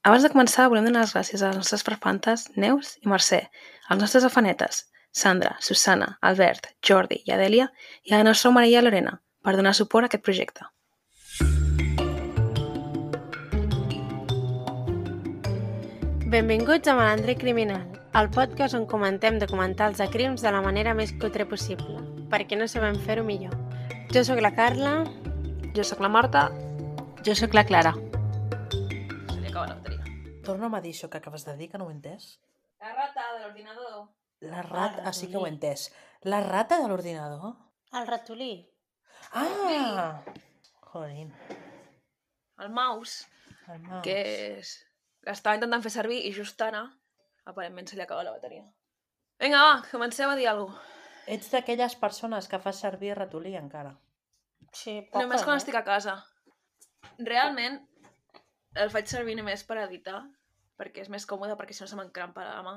Abans de començar, volem donar les gràcies a les nostres farfantes Neus i Mercè, als nostres afanetes Sandra, Susana, Albert, Jordi i Adèlia i a la nostra Maria Lorena per donar suport a aquest projecte. Benvinguts a Malandre Criminal, el podcast on comentem documentals de crims de la manera més cutre possible, perquè no sabem fer-ho millor. Jo sóc la Carla. Jo sóc la Marta. Jo sóc la Clara. Se li acaba la bateria. Torna'm a dir això que acabes de dir, que no ho he entès. La rata de l'ordinador. La rata... sí que ho he entès. La rata de l'ordinador? El ratolí. Ah! Jolín. El mouse, El mouse. que és... L'estava intentant fer servir i just ara, aparentment se li acaba la bateria. Vinga, va, comenceu a dir alguna cosa. Ets d'aquelles persones que fas servir ratolí encara. Sí, poca, Només quan estic a casa. Realment, el faig servir només per editar, perquè és més còmode, perquè si no se m'encrampa la mà.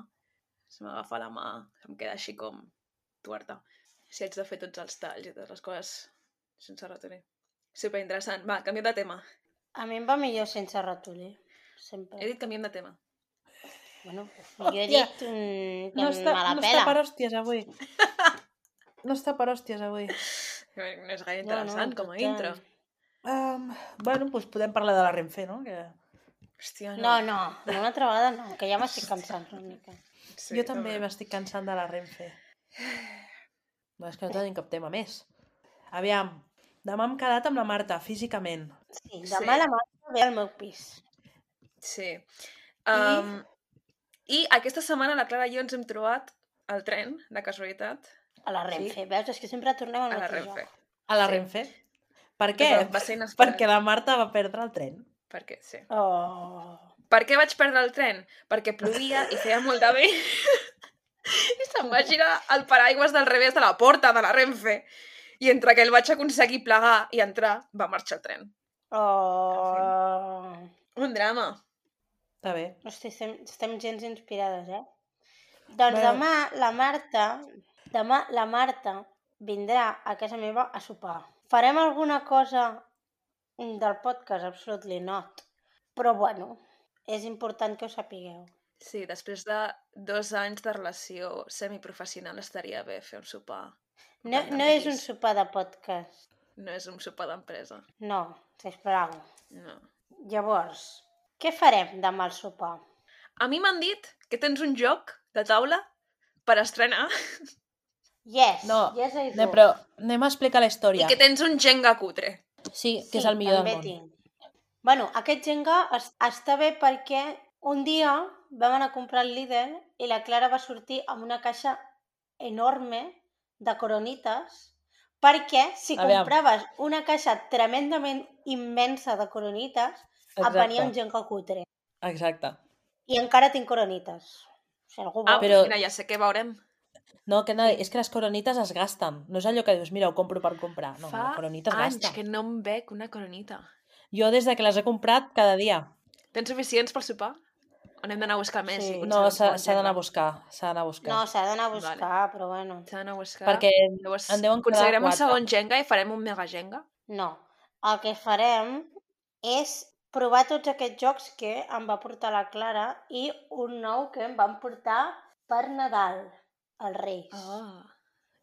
Se m'agafa la mà, em queda així com tuerta. Si haig de fer tots els talls i totes les coses sense ratolí. Superinteressant. Va, canviem de tema. A mi em va millor sense ratolí. Sempre. He dit canviem de tema. Bueno, jo he dit que No me la està pela. per hòsties avui. No està per hòsties avui. No és gaire interessant com a intro. Bueno, doncs podem parlar de la Renfe, no? Que... Hòstia, No, una altra vegada no, que ja m'estic cansant una mica. Sí, jo també m'estic cansant de la Renfe. No, és que no tenim cap tema més. Aviam, demà hem quedat amb la Marta, físicament. Sí, demà la Marta ve al meu pis. Sí. I aquesta setmana la Clara i jo ens hem trobat al tren, de casualitat. A la Renfe, veus? És que sempre tornem al A la mateix Renfe. lloc. A la Sí. Renfe? Per què? Va ser inesperat. Perquè la Marta va perdre el tren. Per què? Sí. Oh. Per què vaig perdre el tren? Perquè plovia i feia molt de vent. I se'm va girar el paraigües del revés de la porta de la Renfe. I entre que el vaig aconseguir plegar i entrar, va marxar el tren. Oh. Un drama. Està bé. Hosti, estem gens inspirades, eh? Doncs Bueno. demà la Marta vindrà a casa meva a sopar. Farem alguna cosa del podcast? Absolutely not. Però bueno, és important que ho sapigueu. Sí, després de 2 anys de relació semiprofessional estaria bé fer un sopar. No és un sopar de podcast. No és un sopar d'empresa. No, sisplau. No. Llavors, què farem demà al sopar? A mi m'han dit que tens un joc de taula per estrenar Yes, No, yes I do. no, però anem a explicar la i història. que tens un Jenga cutre. Sí, que és el millor del món. Tinc. Bueno, aquest Jenga està bé perquè un dia vam anar a comprar el Lidl i la Clara va sortir amb una caixa enorme de coronites perquè si Aviam. compraves una caixa tremendament immensa de coronites et venia un Jenga cutre. Exacte. I encara tinc coronites. Si algú vol. però- Mira, ja sé què veurem. No, que no, és que les coronites es gasten. No és allò que dius, mira, ho compro per comprar. No, Fa la coronita es anys gasta. que no em bec una coronita. Jo des de que les he comprat cada dia. Tens suficients pel sopar? O n'hem d'anar a buscar més? Sí. i potser No, doncs com el s'ha d'anar a Jenga? buscar. S'ha d'anar a buscar. No, s'ha d'anar a buscar, però bueno. S'ha d'anar a buscar. Perquè Llavors, en deuen quedar aconseguirem un 4. segon Jenga i farem un mega Jenga? No, el que farem és provar tots aquests jocs que em va portar la Clara i un nou que em van portar per Nadal, els Reis, Oh,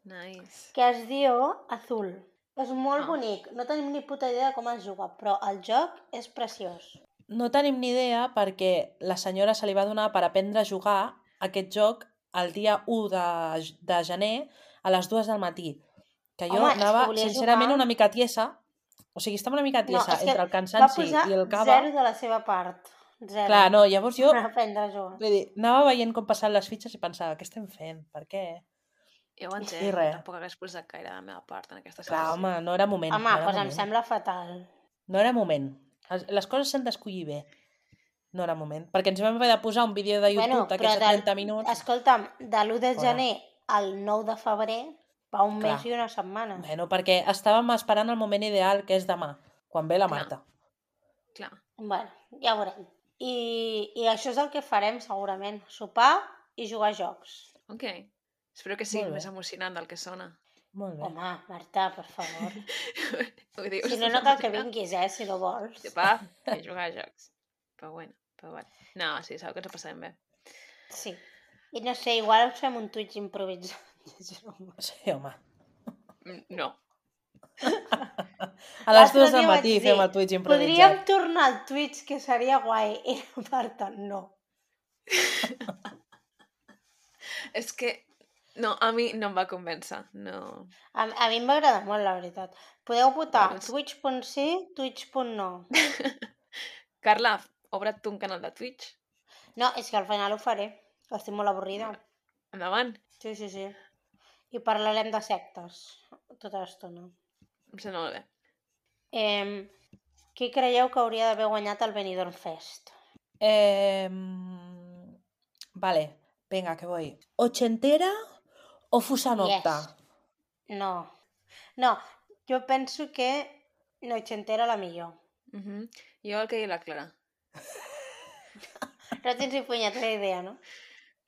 nice. que es diu Azul. És molt bonic, no tenim ni puta idea de com es juga, però el joc és preciós. No tenim ni idea perquè la senyora se li va donar per aprendre a jugar aquest joc el dia 1 de gener a les 2 del matí. Que jo Home, és que anava, volia sincerament, jugar. una mica tiesa. O sigui, estava una mica tiesa és que entre el va cansanci posar i el cava. 0 de la seva part. 0. Clar, no, llavors jo Per aprendre a jugar. vull dir, anava veient com passaven les fitxes i pensava, què estem fent? Per què? Ja ho I entenc, res. tampoc hagués posat gaire de la meva part en aquesta Clar, situació. home, no era moment. Home, no era doncs em moment. sembla fatal. No era moment. Les coses s'han d'escollir bé. No era moment. Perquè ens vam haver de posar un vídeo de YouTube d'aquests de 30 minuts. Escolta'm, de l'1 de Fora. gener al 9 de febrer va un Clar. mes i una setmana. Bueno, perquè estàvem esperant el moment ideal, que és demà, quan ve la Clar. Marta. Clar. Bueno, ja ho veurem. I això és el que farem segurament, sopar i jugar a jocs. Ok. Espero que sigui Molt bé. més emocionant del que sona. Molt bé. Home, Marta, per favor. Ho dius. Si no, no cal que vinguis, si no vols. Va, que jugar a jocs. Però bueno. Però bueno. No, sí, segur que ens ho passarem bé. Sí. I no sé, igual us fem un Twitch improvisat. Sí, home. No. A les 2 L'altre del dia matí vaig fem dir, el Twitch podríem improvisat. tornar al Twitch, que seria guai. I la Marta, no. És que... No, a mi no em va convèncer. No. A mi em va agradar molt, la veritat. Podeu votar Bueno, twitch.sí, twitch.no. Carla, obre't tu un canal de Twitch. No, és que al final ho faré. Estic molt avorrida. Endavant. Sí, sí, sí. I parlarem de sectes tota l'estona. Em sembla molt bé. Qui creieu que hauria d'haver guanyat el Benidorm Fest? Vale, venga, que voy. ¿Ochentera o Fusanocta? Yes. No. No, jo penso que Nochentera la millor. Jo el que diu la Clara. No tens ni punyetera idea, no?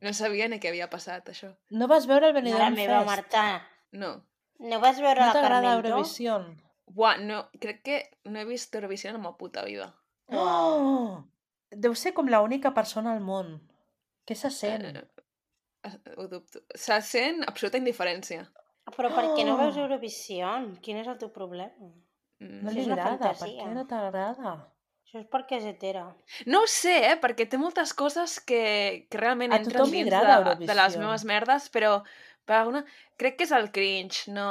No sabia ni què havia passat, això. No vas veure el Mare Benidorm meva, Fest? Marta. No. No vas veure No la t'agrada Carmento? Eurovisión? Buah, no, crec que no he vist Eurovisió en la meva puta vida. Oh! Deu ser com l'única persona al món. Què se sent? Ho dubto. Se sent absoluta indiferència. Però per què no veus Oh! Eurovisió? Quin és el teu problema? No Això li és una agrada. Per fantasia. què no t'agrada? Això és perquè és hetera. No ho sé, perquè té moltes coses que realment A entren tothom li dins agrada de les Eurovisió. meves merdes, però per alguna... crec que és el cringe, no...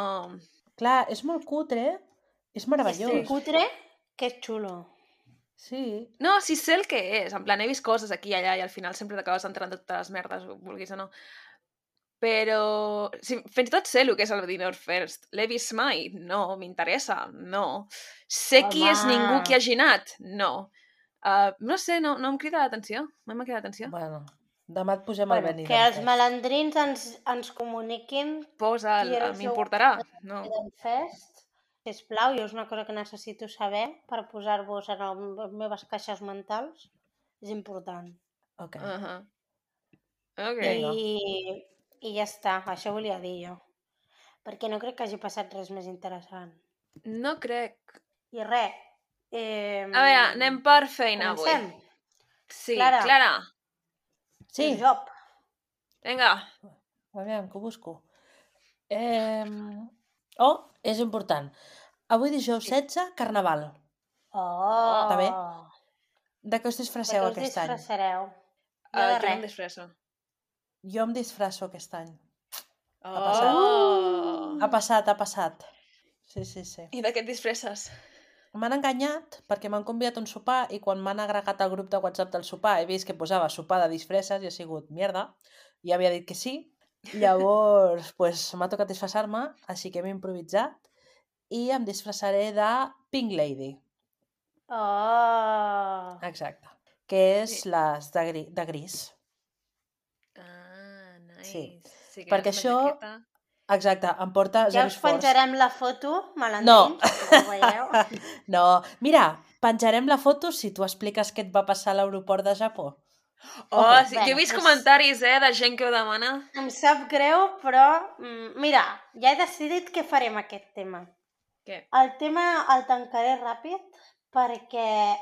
Clar, és molt cutre. És meravellós. És cutre que és xulo. Sí. No, sí sé el que és. En plan, he vist coses aquí i allà i al final sempre t'acabes entrant totes les merdes, vulguis o no. Però... Sí, fins i tot sé el que és el Benidorm Fest. L'he vist mai? No. M'interessa? No. Sé qui és ningú qui hagi anat? No. No sé, no em crida l'atenció. No m'ha cridat l'atenció. Bueno, demà et posem al Bueno, Benidorm que els Fest. malandrins ens comuniquin Posa'l, qui era el seu m'importarà. No. Benidorm Fest. Sisplau, jo és una cosa que necessito saber per posar-vos en les meves caixes mentals. És important. Ok. Ok. Vinga. I ja està, això volia dir jo. Perquè no crec que hagi passat res més interessant. No crec. I res. A veure, anem per feina avui. Comencem. Sí, Clara. Clara. Sí. El job. Vinga. Aviam, que ho busco. Oh, és important. Avui dijous 16, Carnaval. Oh! Està bé? De què us De disfresseu què us aquest any? disfressareu? Jo Jo de no em res. disfresso. Jo em disfresso aquest any. Oh! Ha passat. Sí. I de què et disfresses? M'han enganyat perquè m'han convidat a un sopar i quan m'han agregat al grup de WhatsApp del sopar he vist que posava sopar de disfresses i he sigut mierda. I havia dit que sí. Llavors, pues, m'ha tocat disfressar-me, així que m'he improvisat i em disfressaré de Pink Lady. Oh! Exacte. Que és Sí. les de gris. Ah, nice. Sí. Sí que Perquè és una això... jaqueta. Exacte, em porta Ja zero us esforç. penjarem la foto, malandrins, No. que ho veieu. No, mira, penjarem la foto si tu expliques què et va passar a l'aeroport de Japó. Oh, sí. Jo he Bueno, vist pues- comentaris, de gent que ho demana. Em sap greu, però mira, ja he decidit què farem aquest tema. Què? El tema el tancaré ràpid perquè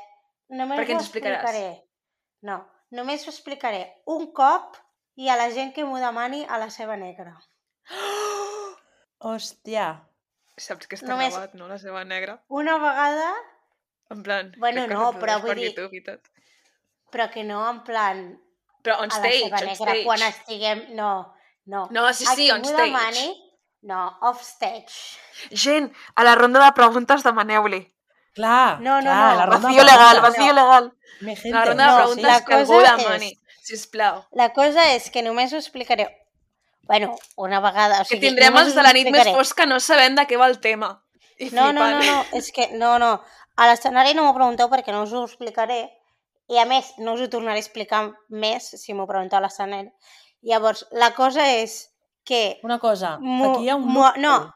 només Perquè ho ens explicaràs. explicaré. No, només ho explicaré un cop i a la gent que m'ho demani a la seva negra. Hòstia. Saps que està Només- gravat, no? La seva negra. Una vegada, En plan... Bueno, crec que no, es però reprodueix vull per dir- YouTube i tot. però que no en plan Però on a la stage, seva on negra stage. quan estiguem... No. No, sí, A sí, qui on m'ho stage. demani, no, off stage. Gent, a la ronda de preguntes demaneu-li. Clar, No, no, clar, no. la ronda Vacío de legal, preguntes. vacío legal. Mi gente. La ronda de No, preguntes la que algú cosa demani. Sisplau. La cosa és que només ho explicaré... Bueno, una vegada... O Que sigui, tindrem només els us de la nit més explicaré. fosca no sabent de què va el tema. I No, flipant. és que... No. A l'escenari no m'ho pregunteu perquè no us ho explicaré i a més no us ho tornaré a explicar més si m'ho pregunteu a l'escenari. Llavors, la cosa és que... Una cosa, aquí hi ha un loophole. No,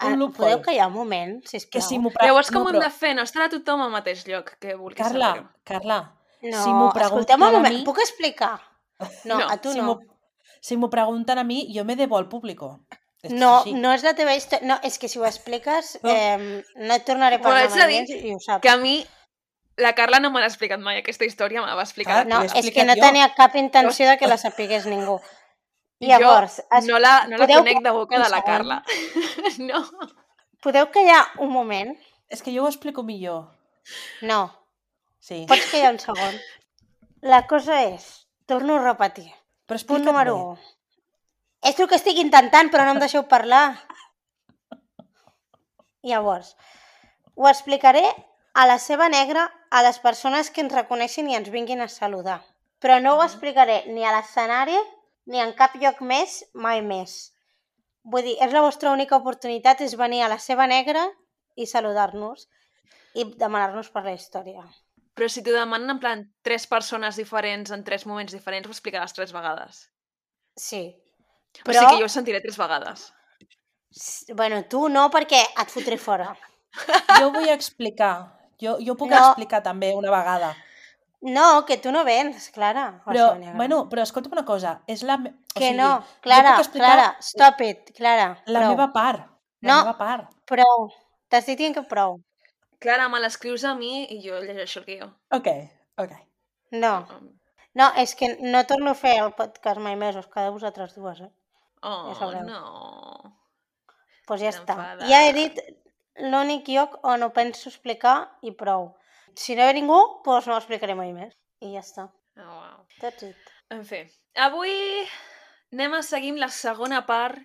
Un loophole. podeu callar un moment, sisplau? Que si m'ho Llavors, com no, ho hem però- de fer? No estarà tothom al mateix lloc que vulgui Carla, saber-ho. No, si m'ho pregunten escolteu-me un a moment, mi... puc explicar? No, No, a tu si no. Si m'ho pregunten a mi, jo me debo al público. Esto No, sí. no és la teva història. No, és que si ho expliques no et tornaré a Bueno, parlar haig de mai dir més i ho saps. Que a mi La Carla no me l'ha explicat mai, aquesta història me la va explicar. Clar, No, t'ho he és que explicat no jo. tenia cap intenció de que la sapigués ningú. Llavors, Jo no la podeu conec de boca un de la segon? Carla. No. Podeu callar un moment? És que jo ho explico millor. No, Sí. pots callar un segon. La cosa és, torno a repetir, Però punt explica't número bé. 1. És el que estic intentant, però no em deixeu parlar. Llavors, ho explicaré a la seva negra a les persones que ens reconeixin i ens vinguin a saludar. Però no ho explicaré ni a l'escenari ni en cap lloc més, mai més. Vull dir, és la vostra única oportunitat, és venir a la seva negra i saludar-nos i demanar-nos per la història. Però si t'ho demanen en plan 3 persones diferents en 3 moments diferents, ho explicaràs 3 vegades. Sí. O sigui que jo ho sentiré 3 vegades. Bueno, tu no, perquè et fotré fora. Jo vull explicar. Jo puc No. explicar també una vegada. No, que tu no vens, Clara. a la Però, seva negra. bueno, però escolta'm una cosa. És la... Que o sigui, no, jo Clara, puc explicar Clara, stop it, Clara, la prou. meva part. La No. meva part. Prou, t'estic dient que prou. Clara, me l'escrius a mi i jo llegeixo el guió. Ok. No, no, és que no torno a fer el podcast mai més, us quedeu vosaltres dues, eh? Oh, Ja sabreu. no. Doncs ja està. T'enfades. Ja he dit l'únic lloc on ho penso explicar i prou. Si no ve ningú, doncs no ho explicaré mai més. I ja està. Oh, wow. That's it. En fi, avui anem a seguir amb la segona part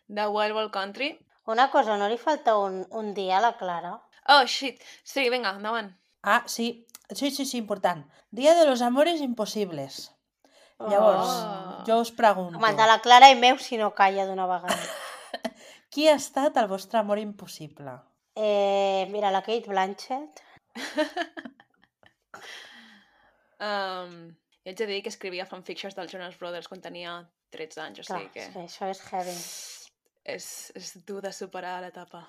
de Wild Wild Country. Una cosa, no li falta un dia a la Clara? Oh, shit. Sí, vinga, endavant. Ah, sí. Sí, important. Día de los amores imposibles. Llavors, jo us pregunto, Com el de la Clara i meu si no calla d'una vegada. qui ha estat el vostre amor impossible? Mira, la Kate Blanchett. Jo haig de dir que escrivia fanfictions dels Jonas Brothers quan tenia 13 anys, o Clar, sigui que és que això és heavy. és dur de superar l'etapa.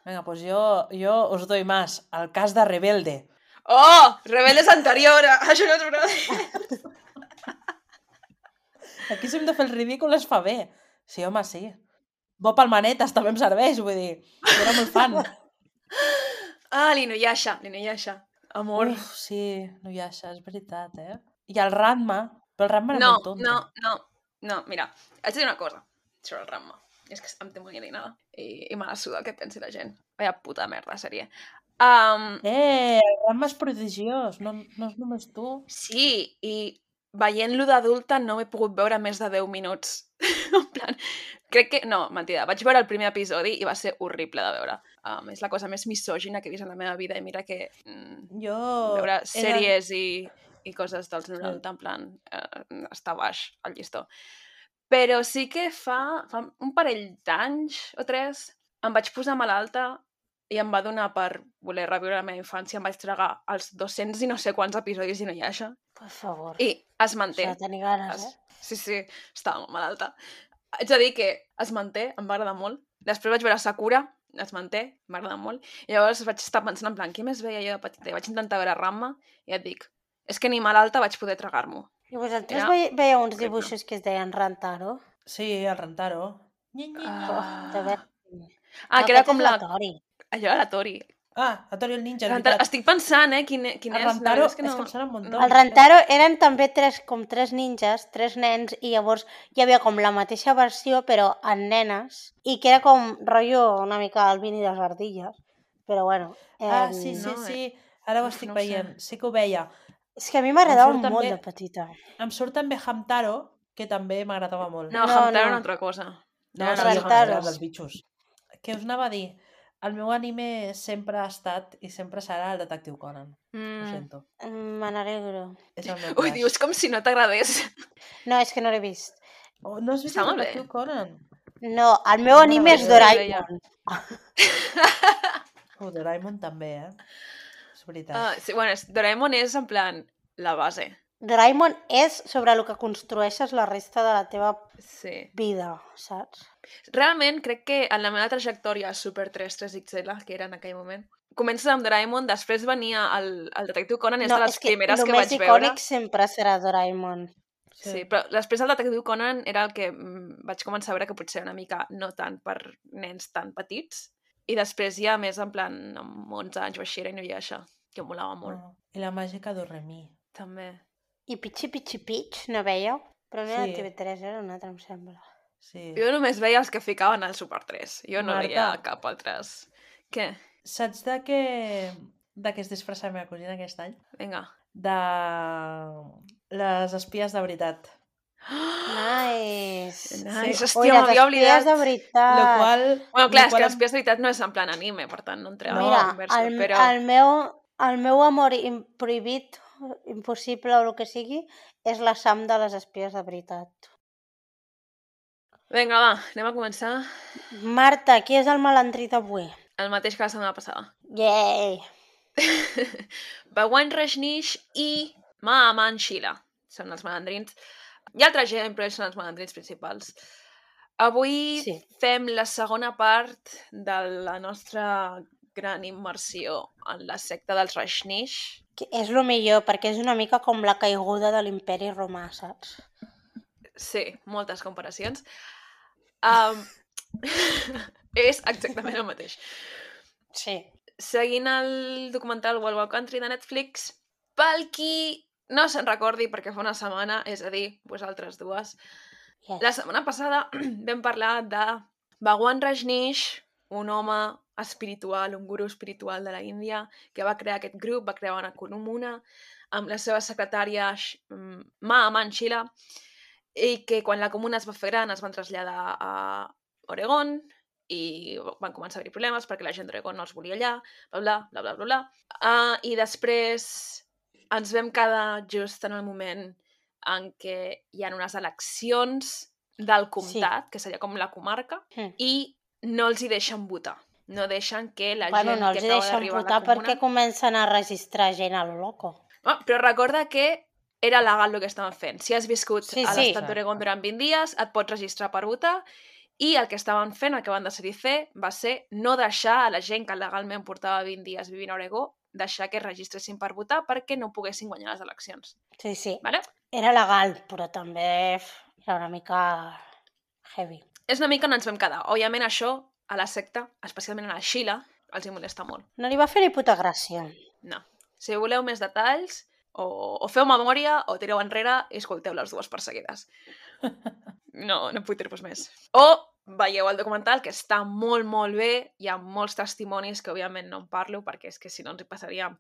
Vinga, doncs jo us doy más. El cas de Rebelde. Oh! Rebelde és anterior a Jonas Brothers! Aquí si hem de fer el ridícul es fa bé. Sí, home, sí. Bo pel manetes també em serveix, vull dir. Jo era molt fan. Ah, l'Inuyasha. Amor. Uf, sí, no hi ha això, és veritat, eh? I el Ranma, però el Ranma era No, molt tonto. no, mira, haig de dir una cosa sobre el Ranma. És que em té molt alienada i me la suda el que pensi la gent. Vaya puta merda, sèrie. El Ranma és prodigiós, no és només tu. Sí, i veient-lo d'adulta no m'he pogut veure més de 10 minuts. En plan, crec que... No, mentida, vaig veure el primer episodi i va ser horrible de veure. És la cosa més misògina que he vist en la meva vida i mira que veure sèries i coses dels 90, en plan, està baix el llistó. Però sí que fa un parell d'anys o 3 em vaig posar malalta i em va donar per voler reviure la meva infància. Em vaig tragar els 200 i no sé quants episodis d'Inuyasha. Per favor. I es manté. S'ha de tenir ganes, Sí, estava molt malalta. Haig de dir que es manté, em va agradar molt. Després vaig veure Sakura, es manté, m'ha agradat molt. I llavors vaig estar pensant en plan, què més veia jo de petita? I vaig intentar veure Ranma i et dic, és que ni malalta vaig poder tragar-m'ho. I vosaltres veieu uns dibuixos que es deien Rantaro? Sí, el Rantaro. Que era com la... Allò era la Tori. La Tori el ninja, Estic pensant, quin és. El Rantaro és que em sona un muntó. El Rantaro eren també tres ninjas, 3 nens, i llavors hi havia com la mateixa versió, però en nenes, i que era com rotllo una mica el Vini de les ardilles. Però bueno... Sí. Ara ho estic veient. Sí que ho veia. És que a mi m'agradava molt de petita. Em surt també Hamtaro, que també m'agradava molt. No, Hamtaro era una altra cosa. No, Rantaro. dels bitxos. Què us anava a dir? El meu anime sempre ha estat i sempre serà el Detectiu Conan. Ho sento. Me n'alegro. És el meu Ho dius com si no t'agradés. No, és que no l'he vist. No has vist el Detectiu Conan? No, el meu anime és Doraemon. Doraemon també, És veritat. Sí, bueno, Doraemon és en plan la base. Doraemon és sobre el que construeixes la resta de la teva vida, saps? Realment, crec que en la meva trajectòria Super 3 3XL, que era en aquell moment, comences amb Doraemon, després venia el Detectiu Conan, és de les primeres que vaig veure. El més icònic sempre serà Doraemon. Sí, però després el Detectiu Conan era el que vaig començar a veure que potser una mica no tant per nens tan petits, i després ja més en plan amb 11 anys o així era Inuyasha. que em molava molt. I la màgica d'Orremí. També. I Pitxi Pitxi Pitx, no veieu? Però no era Sí. TV3, era un altre, em sembla. Sí. Jo només veia els que ficaven al Super 3. Jo no Marta. veia cap altres. Què? Saps de què es disfressa la meva cosina aquest any? Vinga. De les espies de veritat. Nice. Nice, Sí. hòstia, m'havia les oblidat. espies de veritat. Lo qual... Bueno, clar, lo és qual que em- Espies de veritat no és en plan anime, per tant no entrem Mira, en la conversa, però... el meu amor prohibit, impossible o el que sigui, és la Sam de les espies de veritat. Vinga, va, anem a començar. Marta, qui és el malandrí d'avui? El mateix que la setmana passada. Yay! Bhagwan Rajneesh i Maaman Sheela són els malandrins. Hi ha altra gent, però ells són els malandrins principals. Avui Sí. fem la segona part de la nostra gran immersió en la secta dels Rajneesh. Que és el millor, perquè és una mica com la caiguda de l'imperi romà, saps? Sí, moltes comparacions. És exactament el mateix. Sí. Seguint el documental Wild Wild Country de Netflix, pel qui no se'n recordi perquè fa una setmana, és a dir, vosaltres dues, Yes. la setmana passada vam parlar de Bhagwan Rajneesh, un home espiritual, un guru espiritual de la Índia, que va crear aquest grup, va crear una comuna amb la seva secretària Maaman Sheela, i que quan la comuna es va fer gran es van traslladar a Oregon i van començar a haver problemes perquè la gent d'Oregon no els volia allà, bla, bla, bla, bla, bla. I després ens vam quedar just en el moment en què hi ha unes eleccions del comtat, que seria com la comarca, i no els hi deixen votar. No deixen que la gent no que els acaba deixen d'arribar a votar la comuna... perquè comencen a registrar gent a lo loco. Però recorda que era legal el que estaven fent. Si has viscut Sí, a sí. l'estat d'Oregon durant 20 dies, et pots registrar per votar, i el que estaven fent, el que van decidir fer, va ser no deixar a la gent que legalment portava 20 dies vivint a Oregó, deixar que es registressin per votar perquè no poguessin guanyar les eleccions. Sí, sí. Vale? Era legal, però també era una mica heavy. És una mica on ens vam quedar. Òbviament això, a la secta, especialment a la Sheela, els hi molesta molt. No li va fer ni puta gràcia. No. Si voleu més detalls, o feu memòria, o tireu enrere i escolteu les dues perseguides. No puc dir-vos més. O veieu el documental, que està molt, molt bé. Hi ha molts testimonis que, òbviament, no en parlo, perquè és que si no ens hi passaríem...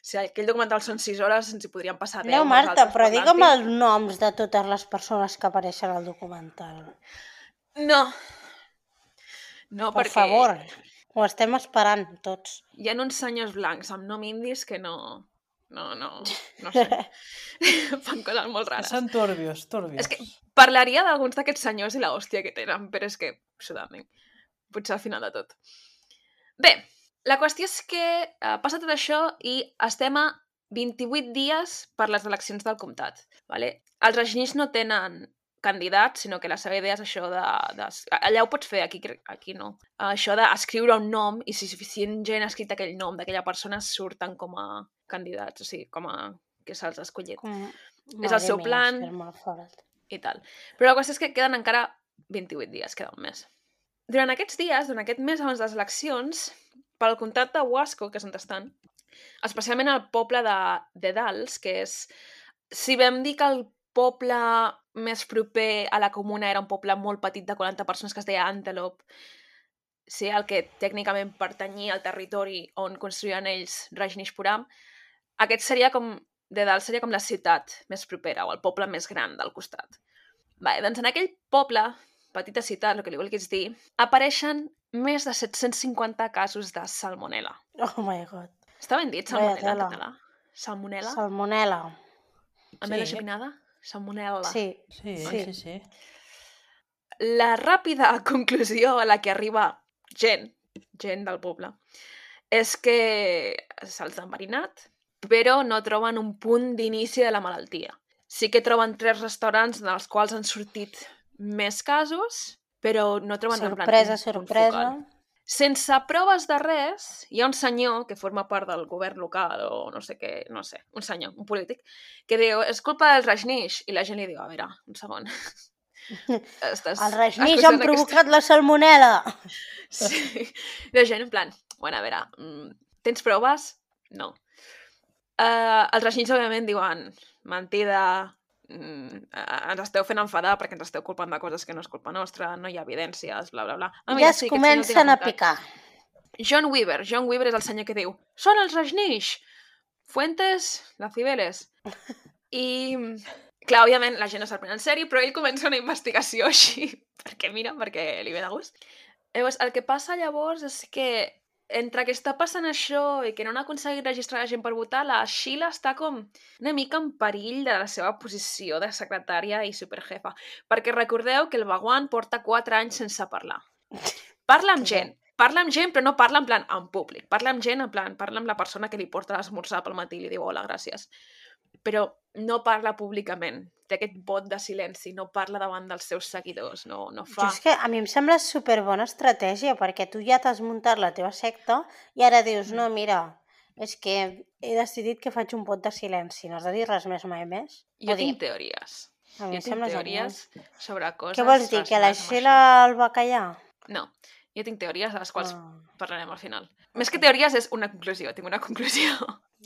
Si aquell documental són 6 hores, ens hi podríem passar 10. No, Marta, però digue'm els noms de totes les persones que apareixen al documental. No. No, Per perquè... favor, ho estem esperant tots. Hi ha uns senyors blancs amb nom indis que no sé. Fan coses molt rares. Són turbios. És que parlaria d'alguns d'aquests senyors i la hòstia que tenen, però és que, absolutament, potser al final de tot. Bé, la qüestió és que passa tot això i estem a 28 dies per les eleccions del comtat. Vale? Els Rajneesh no tenen candidats, sinó que la seva idea és això de... Allà ho pots fer, aquí no. Això d'escriure un nom i si suficient gent ha escrit aquell nom d'aquella persona surten com a candidats, o sigui, com a que se'ls ha escollit. És el seu plan i tal. Però la qüestió és que queden encara 28 dies, queda un mes. Durant aquests dies, durant aquest mes abans de les eleccions, pel comtat de Wasco, que és on estan, especialment el poble de Dalles, que és... Si vam dir que el poble més proper a la comuna era un poble molt petit de 40 persones que es deia Antelope, sí, el que tècnicament pertanyia al territori on construïen ells Rajneeshpuram, aquest seria com... De Dalles seria com la ciutat més propera o el poble més gran del costat. Doncs en aquell poble, petita ciutat, el que li vulguis dir, apareixen més de 750 casos de salmonella. Oh my god. Està ben dit, salmonella, en català? Salmonella? Salmonella. Amb la geminada? Salmonella. Sí. La ràpida conclusió a la que arriba gent del poble, és que se'ls ha enverinat, però no troben un punt d'inici de la malaltia. Sí que troben 3 restaurants en els quals han sortit més casos, però no troben un punt focal. Sense proves de res, hi ha un senyor que forma part del govern local o no sé què, no sé, un senyor, un polític, que diu, és culpa dels Rajneesh, i la gent li diu, a veure, un segon. Els Rajneesh han provocat la salmonella. Sí, la gent en plan, bueno, a veure, tens proves? No. Els reixins, òbviament, diuen mentida, ens esteu fent enfadar perquè ens esteu culpant de coses que no és culpa nostra, no hi ha evidències, bla, bla, bla. Ja es comencen a picar. John Weaver és el senyor que diu són els Rajneesh, Fuentes, la Cibeles. I, clar, òbviament, la gent no se'l pren en sèrio, però ell comença una investigació així, perquè li ve de gust. Llavors, el que passa llavors és que entre que està passant això i que no han aconseguit registrar la gent per votar, la Sheila està com una mica en perill de la seva posició de secretària i superjefa. Perquè recordeu que el Bhagwan porta 4 anys sense parlar. Parla amb gent, però no parla en plan en públic. Parla amb gent, en plan, parla amb la persona que li porta l'esmorzar pel matí i li diu hola, gràcies. Però no parla públicament. Té aquest vot de silenci, no parla davant dels seus seguidors, no fa... És que a mi em sembla superbona estratègia, perquè tu ja t'has muntat la teva secta i ara dius, no, mira, és que he decidit que faig un vot de silenci, no has de dir res més mai més. Jo tinc teories. A mi Jo tinc teories sobre coses... Què vols dir, que la Sheila el va callar? No, jo tinc teories a les quals parlarem al final. Més que teories és una conclusió, tinc una conclusió.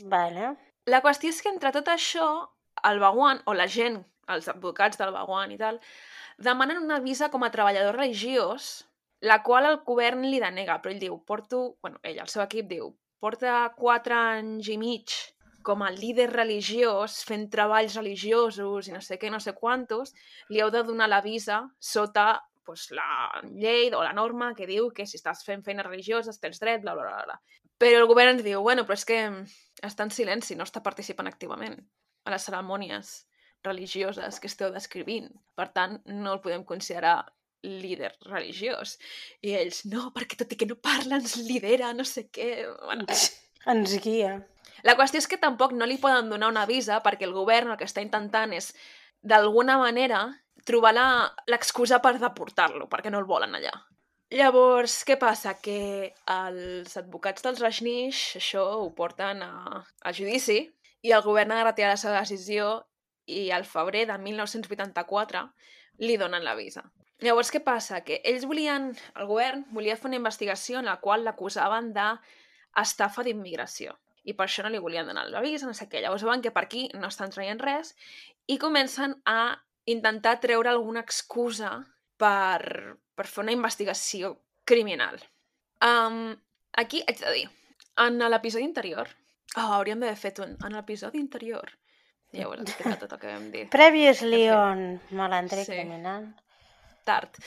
Vale. La qüestió és que entre tot això, el Bhagwan, o la gent, els advocats del Bhagwan i tal, demanen una visa com a treballador religiós, la qual el govern li denega, però ell diu, ell, el seu equip diu, porta 4 anys i mig com a líder religiós, fent treballs religiosos i no sé què, no sé quantos, li heu de donar la visa sota la llei o la norma que diu que si estàs fent feines religioses tens dret, bla, bla, bla, bla. Però el govern ens diu, bueno, però és que està en silenci, no està participant activament a les cerimònies religioses que esteu descrivint. Per tant, no el podem considerar líder religiós. I ells, no, perquè tot i que no parla ens lidera, no sé què... Bueno. Ens guia. La qüestió és que tampoc no li poden donar una visa perquè el govern el que està intentant és, d'alguna manera, trobar l'excusa per deportar-lo, perquè no el volen allà. Llavors, què passa? Que els advocats dels Rajneesh això ho porten a judici i el govern ha de retirar la seva decisió i al febrer de 1984 li donen la visa. Llavors, què passa? Que el govern volia fer una investigació en la qual l'acusaven d'estafa d'immigració i per això no li volien donar la visa, no sé què. Llavors veuen que per aquí no estan traient res i comencen a intentar treure alguna excusa per fer una investigació criminal. Aquí haig de dir, en l'episodi anterior... hauríem d'haver fet en l'episodi anterior. Ja ho he explicat tot el que vam dir. Previously on Malandre Criminal. Tard.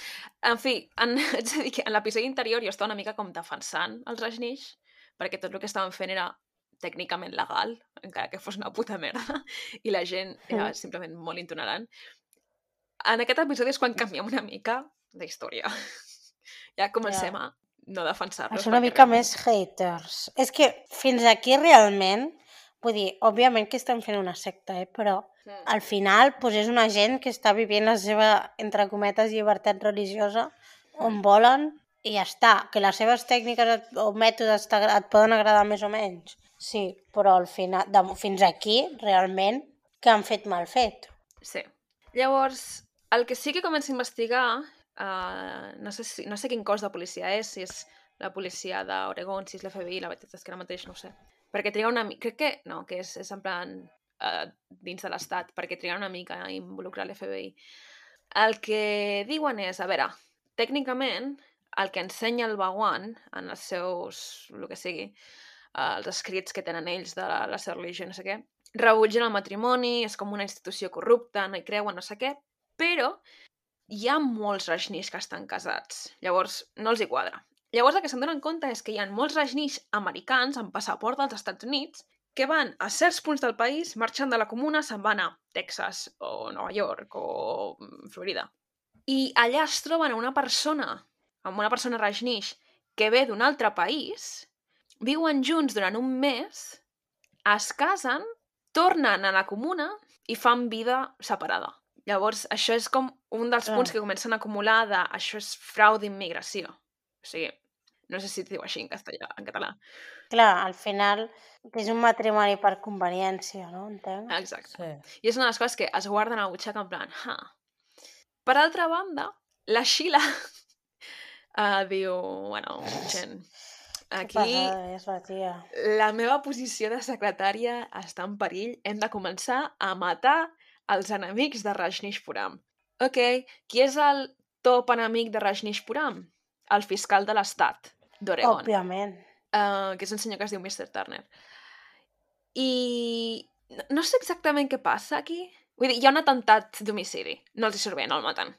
En fi, haig de dir que en l'episodi anterior jo estava una mica com defensant els Rajneesh, perquè tot el que estaven fent era tècnicament legal, encara que fos una puta merda, i la gent era simplement molt intolerant. En aquest episodi és quan canviem una mica d'història. Ja comencem a no defensar-los. És una mica més haters. És que fins aquí realment, vull dir, òbviament que estem fent una secta, però al final és una gent que està vivint la seva, entre cometes, llibertat religiosa on volen i ja està. Que les seves tècniques o mètodes et poden agradar més o menys. Sí, però al final, fins aquí, realment, que han fet mal fet. Sí. Llavors, el que sí que comença a investigar, no sé quin cos de policia és, si és la policia d'Oregon, si és l'FBI, la veritat és que ara mateix no ho sé. Perquè triga una mica... Crec que no, que és en plan dins de l'Estat, perquè triga una mica a involucrar l'FBI. El que diuen és, a veure, tècnicament, el que ensenya el Bhagwan en els seus, el que sigui, els escrits que tenen ells de la seva religió, no sé què, rebutgen el matrimoni, és com una institució corrupta, no hi creuen, no sé què, però hi ha molts Rajneesh que estan casats. Llavors, no els hi quadra. Llavors, el que se'n donen compte és que hi ha molts Rajneesh americans amb passaport dels Estats Units que van a certs punts del país, marxant de la comuna, se'n van a Texas o Nova York o Florida. I allà es troben amb una persona Rajneesh que ve d'un altre país, viuen junts durant un mes, es casen, tornen a la comuna i fan vida separada. Llavors, això és com un dels punts que comencen a acumular de això és frau d'immigració. O sigui, no sé si es diu així en català. Clar, al final és un matrimoni per conveniència, no? Entenc? Exacte. Sí. I és una de les coses que es guarden a la butxaca en plan, Per altra banda, la Sheila diu, bueno, gent, Que Aquí pesada és la tia. la meva posició de secretària està en perill. Hem de començar a matar els enemics de Rajneeshpuram. Ok, qui és el top enemic de Rajneeshpuram? El fiscal de l'estat d'Oregon, Òbviament. que és un senyor que es diu Mr. Turner. I no sé exactament què passa aquí. Vull dir, hi ha un atemptat d'homicidi. No els hi surt bé, no el maten.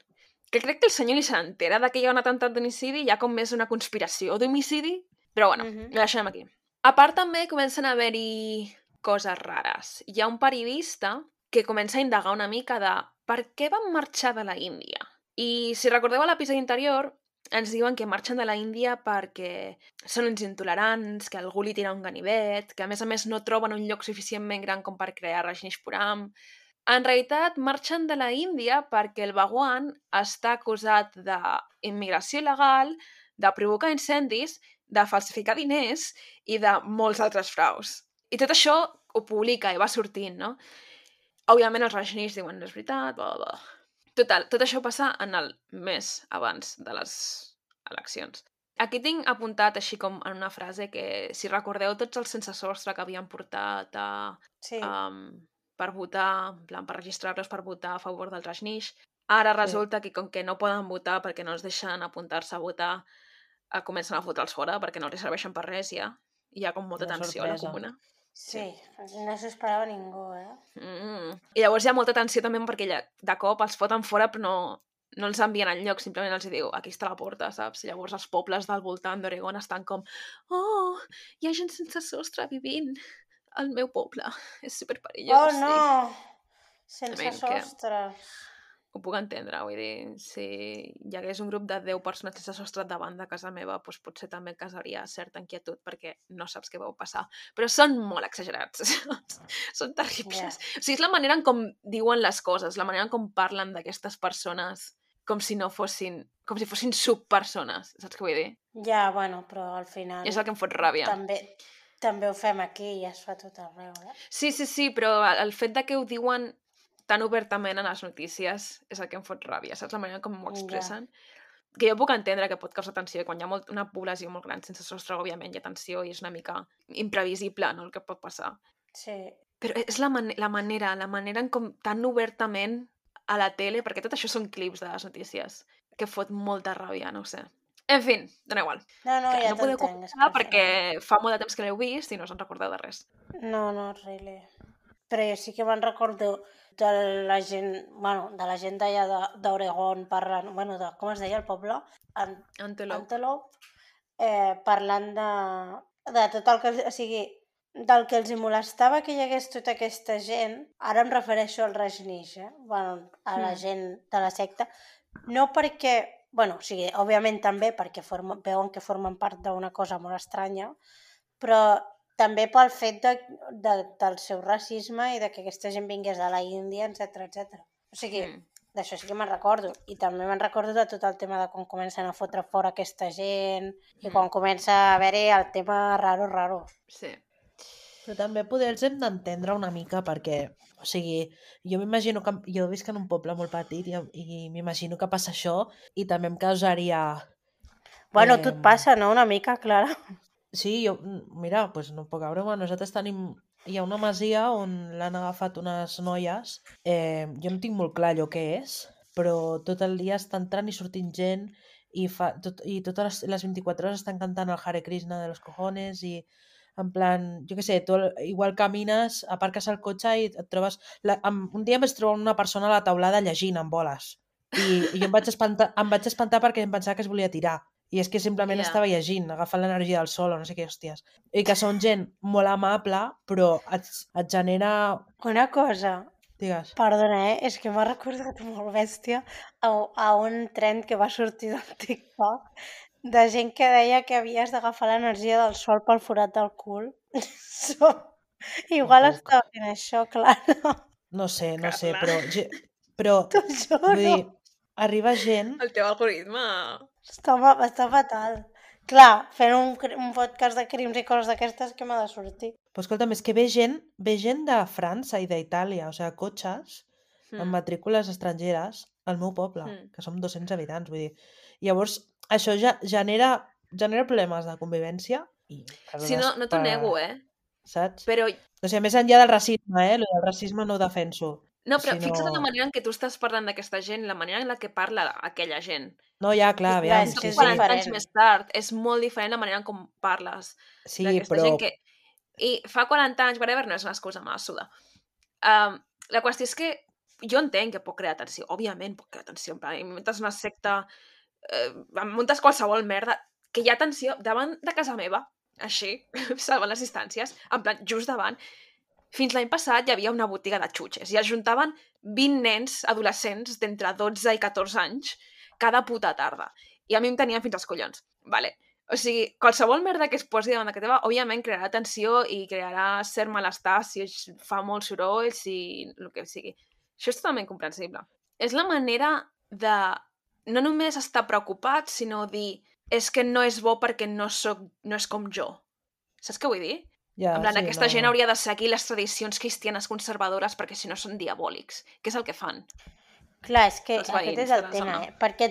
Que crec que el senyor ni s'entera que hi ha un atemptat d'homicidi, hi ha com més una conspiració d'homicidi, però bueno, ho deixem aquí. A part també comencen a haver-hi coses rares. Hi ha un periodista que comença a indagar una mica de per què van marxar de la Índia. I si recordeu a l'episodi anterior, ens diuen que marxen de la Índia perquè són uns intolerants, que algú li tira un ganivet, que a més no troben un lloc suficientment gran com per crear Rajneeshpuram. En realitat, marxen de la Índia perquè el Bhagwan està acusat d'immigració il·legal, de provocar incendis, de falsificar diners i de molts altres fraus. I tot això ho publica i va sortint, no? Òbviament els Rajneesh diuen no és veritat, bla, bla, bla. Total, tot això passa en el mes abans de les eleccions. Aquí tinc apuntat així com en una frase que, si recordeu, tots els sense sostre que havien portat Sí. per votar, en plan, per registrar-los per votar a favor del Rajneesh, ara resulta que com que no poden votar perquè no els deixen apuntar-se a votar, comencen a fotre'ls fora perquè no els serveixen per res ja. Hi ha com molta Una tensió a la sorpresa. comuna. Sí, no s'ho esperava ningú, I llavors hi ha molta tensió també perquè de cop els foten fora però no els envien enlloc, simplement els diu aquí està la porta, saps? Llavors els pobles del voltant d'Oregon estan com hi ha gent sense sostre vivint al meu poble, és superperillós. Oh, no! Sense I mean, que- sostre. Ho puc entendre, vull dir, si hi hagués un grup de 10 persones sense sostre davant de casa meva, doncs potser també causaria certa inquietud perquè no saps què vau passar. Però són molt exagerats, són terribles. O sigui, és la manera en com diuen les coses, la manera en com parlen d'aquestes persones com si fossin subpersones, saps què vull dir? Ja, bueno, però al final És el que em fot ràbia. també ho fem aquí i es fa tot arreu, Sí, però el fet de que ho diuen tan obertament en les notícies és el que em fot ràbia, saps? La manera com ho expressen. Que jo puc entendre que pot causar tensió, quan hi ha una població molt gran sense sostre, òbviament hi ha tensió i és una mica imprevisible, no?, el que pot passar. Sí. Però és la manera en com tan obertament a la tele, perquè tot això són clips de les notícies, que fot molta ràbia, no ho sé. En fi, dona igual. No, ja no podeu t'entenc. comentar perquè fa molt de temps que l'heu vist i no us en recordeu de res. No, really. Però jo sí que me'n recordo de la gent, de la gent d'allà d'Oregon parlant, com es deia el poble? Antelope. Parlant de tot el que... O sigui, del que els hi molestava que hi hagués tota aquesta gent, ara em refereixo al Rajneesh, a la gent de la secta, no perquè... o sigui, òbviament també perquè veuen que formen part d'una cosa molt estranya, però també pel fet del seu racisme i de que aquesta gent vingués de la Índia, etc. O sigui, d'això sí que me'n recordo. I també me'n recordo de tot el tema de quan comencen a fotre fora aquesta gent i quan comença a haver-hi el tema raro. Sí. Però també poder els hem d'entendre una mica perquè, o sigui, jo m'imagino que jo visc en un poble molt petit i m'imagino que passa això i també em causaria... Bueno, tu et passa, no? Una mica, Clara. Sí, mira, doncs no puc veure, nosaltres tenim... Hi ha una masia on l'han agafat unes noies, jo no tinc molt clar allò què és, però tot el dia està entrant i sortint gent i totes les 24 hores estan cantant el Hare Krishna de los cojones i en plan, jo què sé, tu igual camines, aparques el cotxe i et trobes... Un dia em vaig trobar una persona a la taulada llegint amb boles i jo em vaig espantar perquè em pensava que es volia tirar. I és que simplement estava llegint, agafant l'energia del sol o no sé què hòsties. I que són gent molt amable, però et genera... Una cosa, digues. Perdona, és que m'ha recordat molt bèstia a un trend que va sortir del TikTok de gent que deia que havies d'agafar l'energia del sol pel forat del cul. Igual estava fent això, Clara. No sé, però t'ho juro. Vull dir, arriba gent... El teu algoritme... Està fatal. Clar, fent un podcast de crims i coses d'aquestes que m'ha de sortir. Però escolta'm, és que ve gent de França i d'Itàlia, o sigui, cotxes amb matrícules estrangeres al meu poble, que som 200 habitants, vull dir. Llavors, això ja genera problemes de convivència I Sí, no t'ho nego, Saps? Però, O sigui, més enllà del racisme, el del racisme no ho defenso. no, però Sinó... fixa't en la manera en què tu estàs parlant d'aquesta gent, la manera en la que parla aquella gent. No, ja, clar, I clar, aviam, és que sí, és sí. 40 anys diferent. més tard, és molt diferent la manera en com parles Sí, d'aquesta però... gent que... I fa 40 anys, whatever, no és una excusa, me la suda. La qüestió és que jo entenc que pot crear tensió, òbviament pot crear tensió, en plan, muntes una secta, muntes qualsevol merda, que hi ha tensió davant de casa meva, així, salvant les distàncies, en plan, just davant. Fins l'any passat hi havia una botiga de xutxes i es juntaven 20 nens adolescents d'entre 12 i 14 anys cada puta tarda. I a mi em tenien fins als collons. Vale. O sigui, qualsevol merda que es posi davant de casa teva, òbviament crearà tensió i crearà cert malestar si fa molt soroll, si el que sigui. Això és totalment comprensible. És la manera de no només estar preocupat, sinó dir és que no és bo perquè no és com jo. Saps què vull dir? Ja, En plan, sí, aquesta no... gent hauria de seguir les tradicions cristianes conservadores perquè si no són diabòlics. Què és el que fan? Clar, és que Els aquest veïns és el de la tema, zona. perquè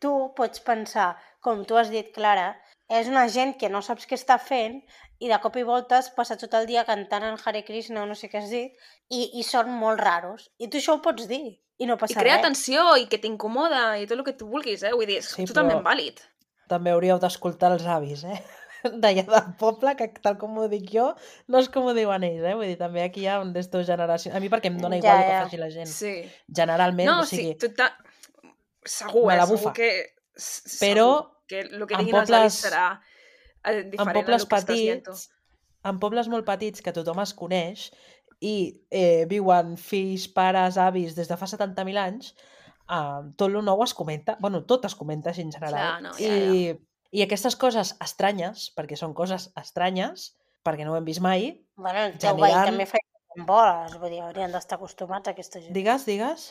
tu pots pensar, com tu has dit, Clara, és una gent que no saps què està fent i de cop i volta es passa tot el dia cantant el Hare Krishna o no sé què has dit i són molt raros. I tu això ho pots dir i no I passa crea res. tensió i que t'incomoda i tot el que tu vulguis, Vull dir, és Sí, totalment però vàlid. també hauríeu d'escoltar els avis, d'allà del poble, que tal com ho dic jo, no és com ho diuen ells, Vull dir, també aquí hi ha un d'estos generacions... A mi perquè em dona Ja, igual el que ja. faci la gent. Sí. Generalment, No, o sigui, segur, me la segur bufa. que... Però Segur que el que en diguin els avis pobles, serà en diferent a pobles el que estàs dient tu. petits, en pobles molt petits que tothom es coneix i viuen fills, pares, avis des de fa 70.000 anys, tot el nou es comenta, bueno, tot es comenta així en general. Clar, no, ja. I aquestes coses estranyes, perquè són coses estranyes, perquè no ho hem vist mai, Bueno, el teu veí generen... també fa amb boles, vull dir, haurien d'estar acostumats a aquesta gent. Digues?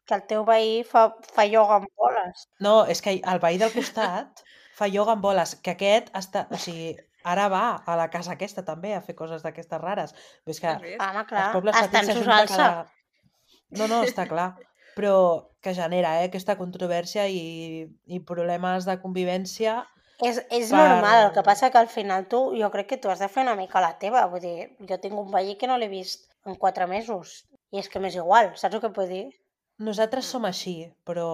Que el teu veí fa ioga amb boles. No, és que el veí del costat fa ioga amb boles, que aquest està... O sigui, ara va a la casa aquesta també a fer coses d'aquestes rares. Però és que Has vist? Home, clar, als pobles està petits en s'ajunta salsa. cada... No, està clar. Però que genera aquesta controvèrsia i problemes de convivència. És normal, el que passa que al final jo crec que tu has de fer una mica la teva, vull dir, jo tinc un veí que no l'he vist en 4 mesos, i és que m'és igual, saps el que vull dir? Nosaltres som així, però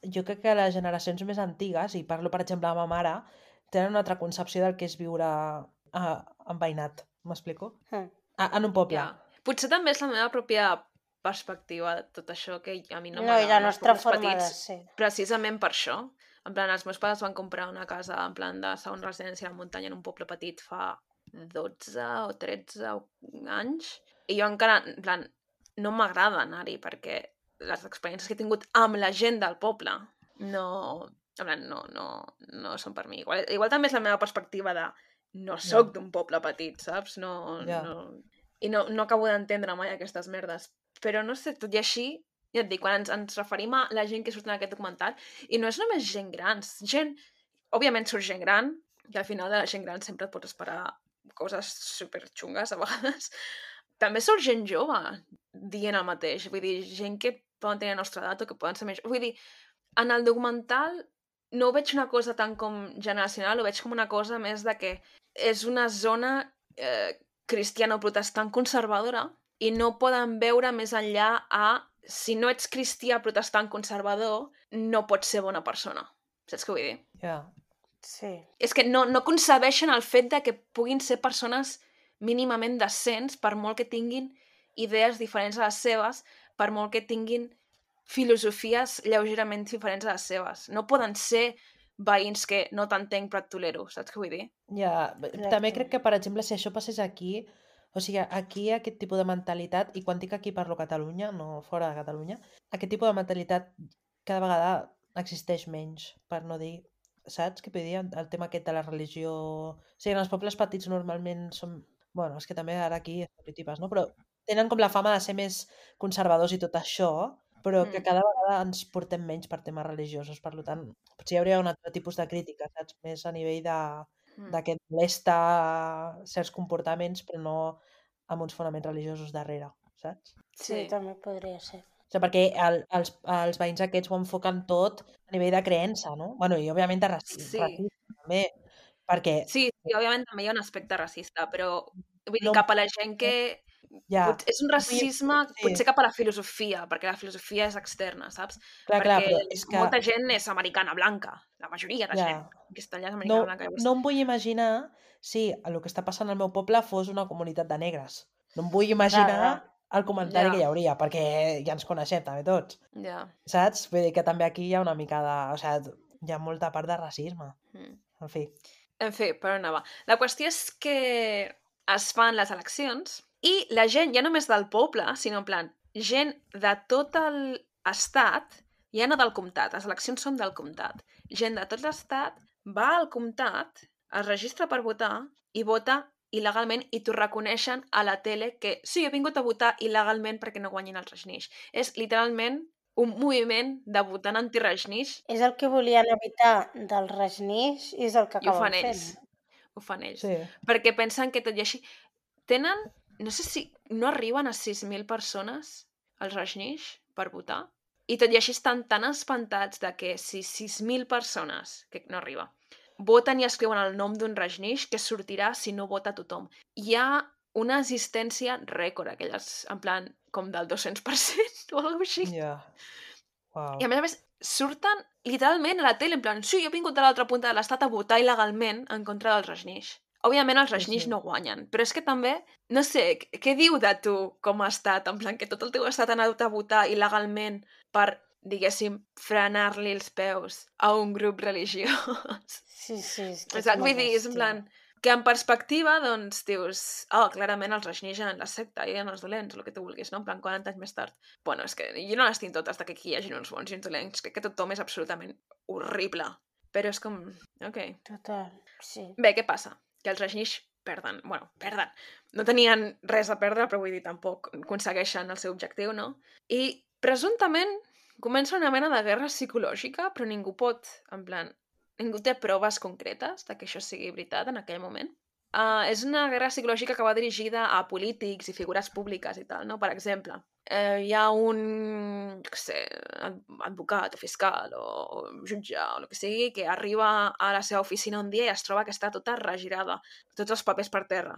jo crec que les generacions més antigues, i parlo per exemple de ma mare, tenen una altra concepció del que és viure enveïnat, m'explico? En un poble. Ja. Potser també és la meva pròpia perspectiva de tot això, que a mi no No, i la m'agraden els nostra pobles forma de petits, ser. precisament per això. En plan, els meus pares van comprar una casa en plan de segona residència a la muntanya en un poble petit fa 12 o 13 anys, i jo encara, en plan, no m'agrada anar-hi perquè les experiències que he tingut amb la gent del poble no, en plan, no són per mi. Igual també és la meva perspectiva de no sóc d'un poble petit, saps? I no acabo d'entendre mai aquestes merdes. Però no sé, tot i així, ja et dic, quan ens referim a la gent que surt en aquest documental, i no és només gent gran, òbviament surt gent gran, i al final de la gent gran sempre et pots esperar coses superxungues a vegades. També surt gent jove dient el mateix, vull dir, gent que poden tenir la nostra edat o que poden ser més... Vull dir, en el documental no ho veig una cosa tan com generacional, ho veig com una cosa més de que és una zona cristiano-protestant conservadora i no poden veure més enllà a si no ets cristià protestant conservador, no pots ser bona persona. Saps què vull dir? Ja. Sí. És que no concebeixen el fet de que puguin ser persones mínimament decents per molt que tinguin idees diferents a les seves, per molt que tinguin filosofies lleugerament diferents a les seves. No poden ser veïns que no t'entenc però et tolero, saps què vull dir? Ja, també crec que, per exemple, si això passés aquí, o sigui, aquí aquest tipus de mentalitat, i quan dic aquí parlo Catalunya, no fora de Catalunya, aquest tipus de mentalitat cada vegada existeix menys, per no dir, saps què vull dir? El tema aquest de la religió... O sigui, en els pobles petits normalment són... Bueno, és que també ara aquí estereotipes, no? Però tenen com la fama de ser més conservadors i tot això, però que cada vegada ens portem menys per temes religiosos, per tant, potser hi hauria un altre tipus de crítica, saps? Més a nivell de que et molesta certs comportaments, però no amb uns fonaments religiosos darrere, saps? Sí, també podria ser. O sigui, perquè els veïns aquests ho enfoquen tot a nivell de creença, no? Bueno, i òbviament de racisme també, Perquè Sí, òbviament també hi ha un aspecte racista, però vull dir, no... cap a la gent que... Ja. És un racisme Sí, potser cap a la filosofia, perquè la filosofia és externa, saps? clar, Perquè però és que... molta gent és americana blanca, la majoria de Ja. gent que està allà és No, americana blanca. Llavors... no em vull imaginar si el que està passant al meu poble fos una comunitat de negres. No em vull imaginar clar. el comentari Ja. que hi hauria, perquè ja ens coneixem també tots, Ja. saps? Vull dir que també aquí hi ha una mica de... O sigui, hi ha molta part de racisme. En fi. En fi, per on anava? La qüestió és que es fan les eleccions i la gent, ja només del poble, sinó en plan, gent de tot l'estat, ja no del comtat, les eleccions són del comtat, gent de tot l'estat va al comtat, es registra per votar i vota il·legalment i t'ho reconeixen a la tele que sí, he vingut a votar il·legalment perquè no guanyin els Rajneesh. És literalment un moviment de votant anti-Rajneesh És el que volien evitar del Rajneesh i és el que i ho fan acaben fent. ells. Ho fan ells. Sí. Perquè pensen que tot i així... Tenen, no sé si no arriben a 6.000 persones als Rajneesh per votar, i tot i així estan tan espantats de que si 6.000 persones, que no arriba, voten i escriuen el nom d'un Rajneesh, que sortirà si no vota tothom. Hi ha una assistència rècord, aquelles, en plan, com del 200% o alguna cosa així. Ja. Wow. I a més, surten literalment a la tele, en plan, sí, jo he vingut de l'altra punta de l'estat a votar il·legalment en contra dels Rajneesh. Òbviament els Rajneesh sí. no guanyen, però és que també, no sé, què diu de tu com a estat? En plan, que tot el teu estat ha anat a votar il·legalment per, diguéssim, frenar-li els peus a un grup religiós. Sí, és que Exacte, vull molt dir, és en bèstia. plan, que en perspectiva, doncs, dius, clarament els Rajneesh eren la secta, eren els dolents, el que tu vulguis, no? En plan, 40 anys més tard. Bueno, és que jo no les tinc totes de que aquí hi hagi uns bons i uns dolents, crec que tothom és absolutament horrible. Però és com... Ok. Total, sí. Bé, què passa? Que els Rajneesh perden. Bueno, perden. No tenien res a perdre, però vull dir, tampoc aconsegueixen el seu objectiu, no? I presumptament comença una mena de guerra psicològica, però ningú pot, en plan, ningú té proves concretes de que això sigui veritat en aquell moment. És una guerra psicològica que va dirigida a polítics i figures públiques i tal, no? Per exemple, hi ha un, jo què sé, advocat o fiscal o jutge o el que sigui que arriba a la seva oficina un dia i es troba que està tota regirada, tots els papers per terra.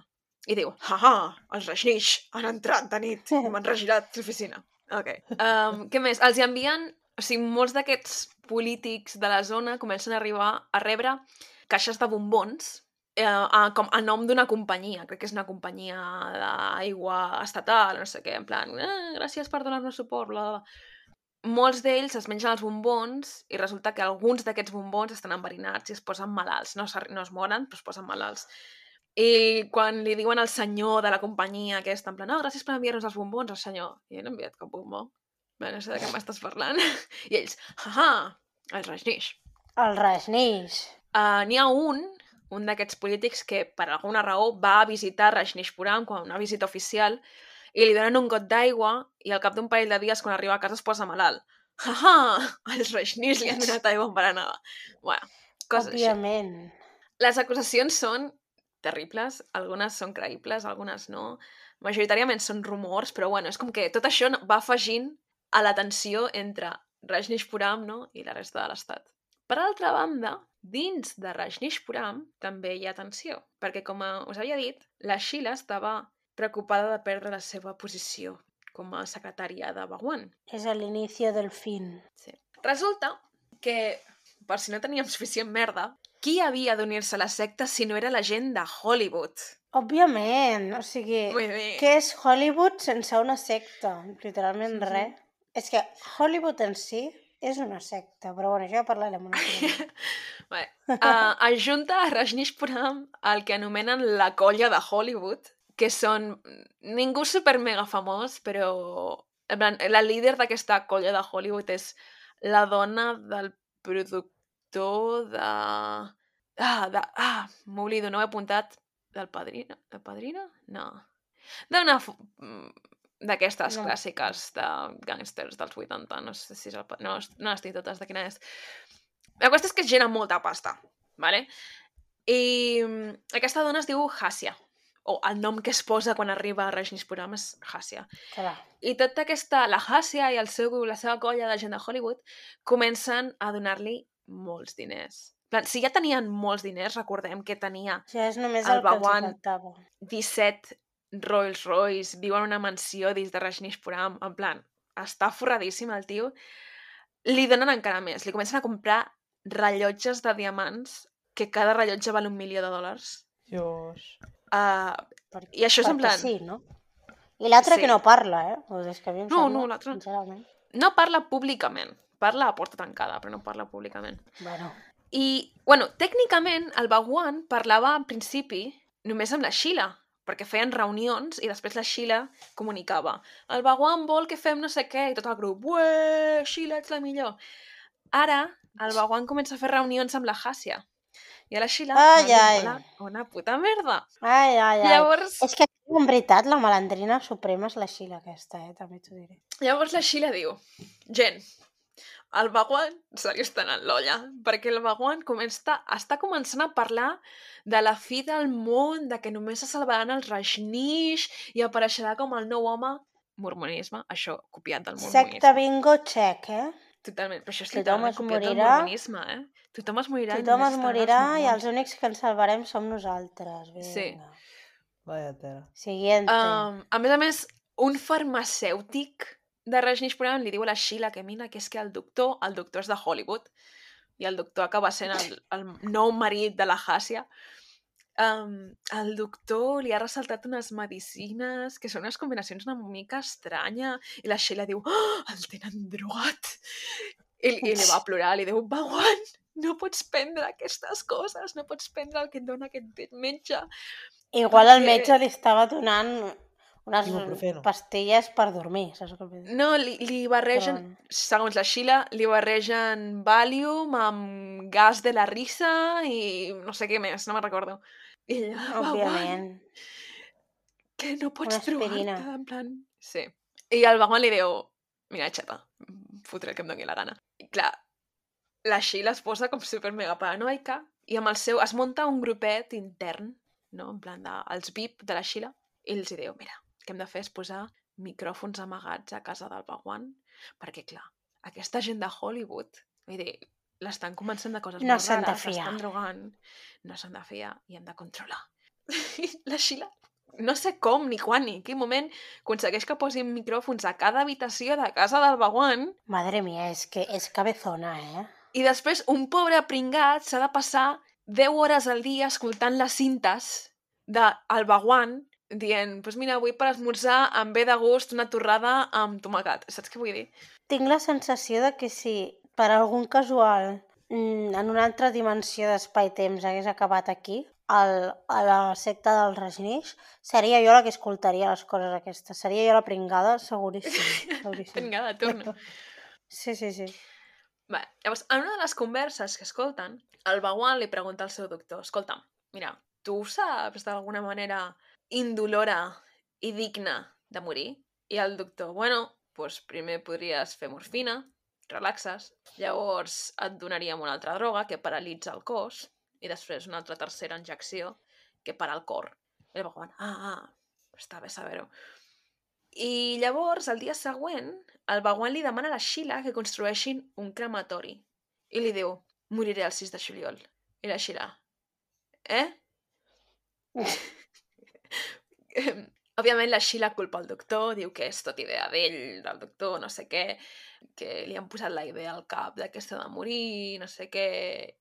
I diu, els Rajneesh han entrat de nit i m'han regirat l'oficina. Ok. Què més? Els hi envien... O sigui, molts d'aquests polítics de la zona comencen a arribar a rebre caixes de bombons com a nom d'una companyia. Crec que és una companyia d'aigua estatal, no sé què, en plan, gràcies per donar-nos suport, bla, bla, bla. Molts d'ells es mengen els bombons i resulta que alguns d'aquests bombons estan enverinats i es posen malalts. No es moren, però es posen malalts. I quan li diuen al senyor de la companyia aquesta, en plan, gràcies per enviar-nos els bombons, el senyor, i no he enviat cap bombó. Bé, no sé de què m'estàs parlant. I ells, els Rajneesh. El Rajneesh. N'hi ha un d'aquests polítics que per alguna raó va a visitar Rajneeshpuram quan una visita oficial i li donen un got d'aigua i al cap d'un parell de dies quan arriba a casa es posa malalt. Els Rajneesh li han donat aigua envenenada. Bueno, coses Òbviament. així. Les acusacions són terribles, algunes són creïbles, algunes no. Majoritàriament són rumors, però bueno, és com que tot això va afegint a la tensió entre Rajneeshpuram, no?, i la resta de l'estat. Per altra banda, dins de Rajneeshpuram també hi ha tensió, perquè com us havia dit, la Sheila estava preocupada de perdre la seva posició com a secretària de Bhagwan. És l'inici del fin. Sí. Resulta que, per si no teníem suficient merda, qui havia d'unir-se a la secta si no era la gent de Hollywood? Òbviament, o sigui, què és Hollywood sense una secta? Literalment res. És que Hollywood en si és una secta, però bueno, això ja parlarem una mica. Ajunta a Rajneeshpuram el que anomenen la colla de Hollywood, que són ningú super mega famós, però en plan, la líder d'aquesta colla de Hollywood és la dona del productor de... m'oblido, no ho he apuntat. Del Padrino? Del Padrino? No. D'una... d'aquestes clàssiques de gàngsters dels 80, no sé si és el... No les tinc totes de quina és. La qüestió és que és gent amb molta pasta, vale? I aquesta dona es diu Hassia, o el nom que es posa quan arriba a Rajneeshpuram és Hassia. Clar. I tota aquesta, la Hassia i la seva colla de gent de Hollywood comencen a donar-li molts diners. Si ja tenien molts diners, recordem que tenia O sigui, és només el el que els Bhagwan faltava. 17 Rolls Royce, viu en una mansió dins de Rajneeshpuram, en plan, està forradíssim el tio. Li donen encara més, li comencen a comprar rellotges de diamants, que cada rellotge val $1.000.000. Dios. I això és en Perquè plan... sí, no? I l'altre Sí. que no parla, O és que a mi em No, sembla, no, l'altre... sincerament. No parla públicament, parla a porta tancada, però no parla públicament. Bueno, I, bueno, tècnicament, el Bhagwan parlava en principi només amb la Sheila, perquè feien reunions i després la Sheila comunicava. El Bhagwan vol que fem no sé què, i tot el grup, ué, Sheila, ets la millor. Ara, el Bhagwan comença a fer reunions amb la Hàsia. I a la Sheila Ai, no li ai. mola una puta merda. ai. Llavors, És que, en veritat, la malandrina suprema és la Sheila aquesta, també t'ho diré. llavors la Sheila diu, gent, el Bhagwan se li està anant l'olla, perquè el Bhagwan està començant a parlar de la fi del món, de que només se salvaran els Rajneesh i apareixerà com el nou home. Mormonisme, això, copiat del mormonisme. Secta bingo check, Totalment, però això és Tothom literalment es copiat del morirà. mormonisme, Tothom es morirà Tothom i només es estaran morirà els i mormons. els únics que ens salvarem som nosaltres. Vinga. Sí. Vaya tela. Siguiente. A més, un farmacèutic de Rajneeshpuram li diu a la Sheila que mira, que és que el doctor és de Hollywood i el doctor acaba sent el nou marit de la Hàsia. El doctor li ha ressaltat unes medicines que són unes combinacions una mica estranya i la Sheila diu, el tenen drogat. I li va plorar, li diu, Bhagwan, no pots prendre aquestes coses, no pots prendre el que et dona aquest metge. Igual el metge li estava donant unes Ibuprofeno. pastilles per dormir, saps què vull dir? No, li barregen, segons la Sheila, li barregen Valium amb gas de la risa i no sé què més, no me'n recordo. I ella, Òbviament. que no pots Una aspirina. drogar-te, en plan... Sí. I el Bhagwan li diu, mira, xapa, fotré el que em doni la gana. I clar, la Sheila es posa com super mega paranoica i amb el seu... Es munta un grupet intern, no? En plan, els VIP de la Sheila, i els diu, mira, el que hem de fer és posar micròfons amagats a casa del Bhagwan, perquè, clar, aquesta gent de Hollywood, vull dir, l'estan començant de coses No molt s'han de rares, fiar. l'estan drogant, no s'han de fiar i hem de controlar. I la Sheila, no sé com, ni quan, ni en quin moment, aconsegueix que posin micròfons a cada habitació de casa del Bhagwan. Madre mía, és que és cabezona, I després un pobre pringat s'ha de passar 10 hores al dia escoltant les cintes del Bhagwan dient, pues mira, avui per esmorzar em ve de gust una torrada amb tomacat. Saps què vull dir? Tinc la sensació de que si per algun casual en una altra dimensió d'espai-temps hagués acabat aquí, a la secta del Rajneesh, seria jo la que escoltaria les coses aquestes. Seria jo la pringada, seguríssim. Pringada, torna. Sí. Bé, llavors, en una de les converses que escolten, el Bhagwan li pregunta al seu doctor, escolta'm, mira, tu saps d'alguna manera indolora i digna de morir? I el doctor, bueno, doncs primer podries fer morfina, relaxes, llavors et donaríem una altra droga que paralitza el cos i després una altra tercera injecció que para el cor. I el Bhagwan, està bé saber-ho. I llavors, el dia següent, el Bhagwan li demana a la Sheila que construeixin un crematori. I li diu, moriré el 6 de juliol. I la Sheila, Òbviament la Sheila culpa el doctor, diu que és tot idea d'ell, del doctor, no sé què, que li han posat la idea al cap de que s'ha de morir, no sé què,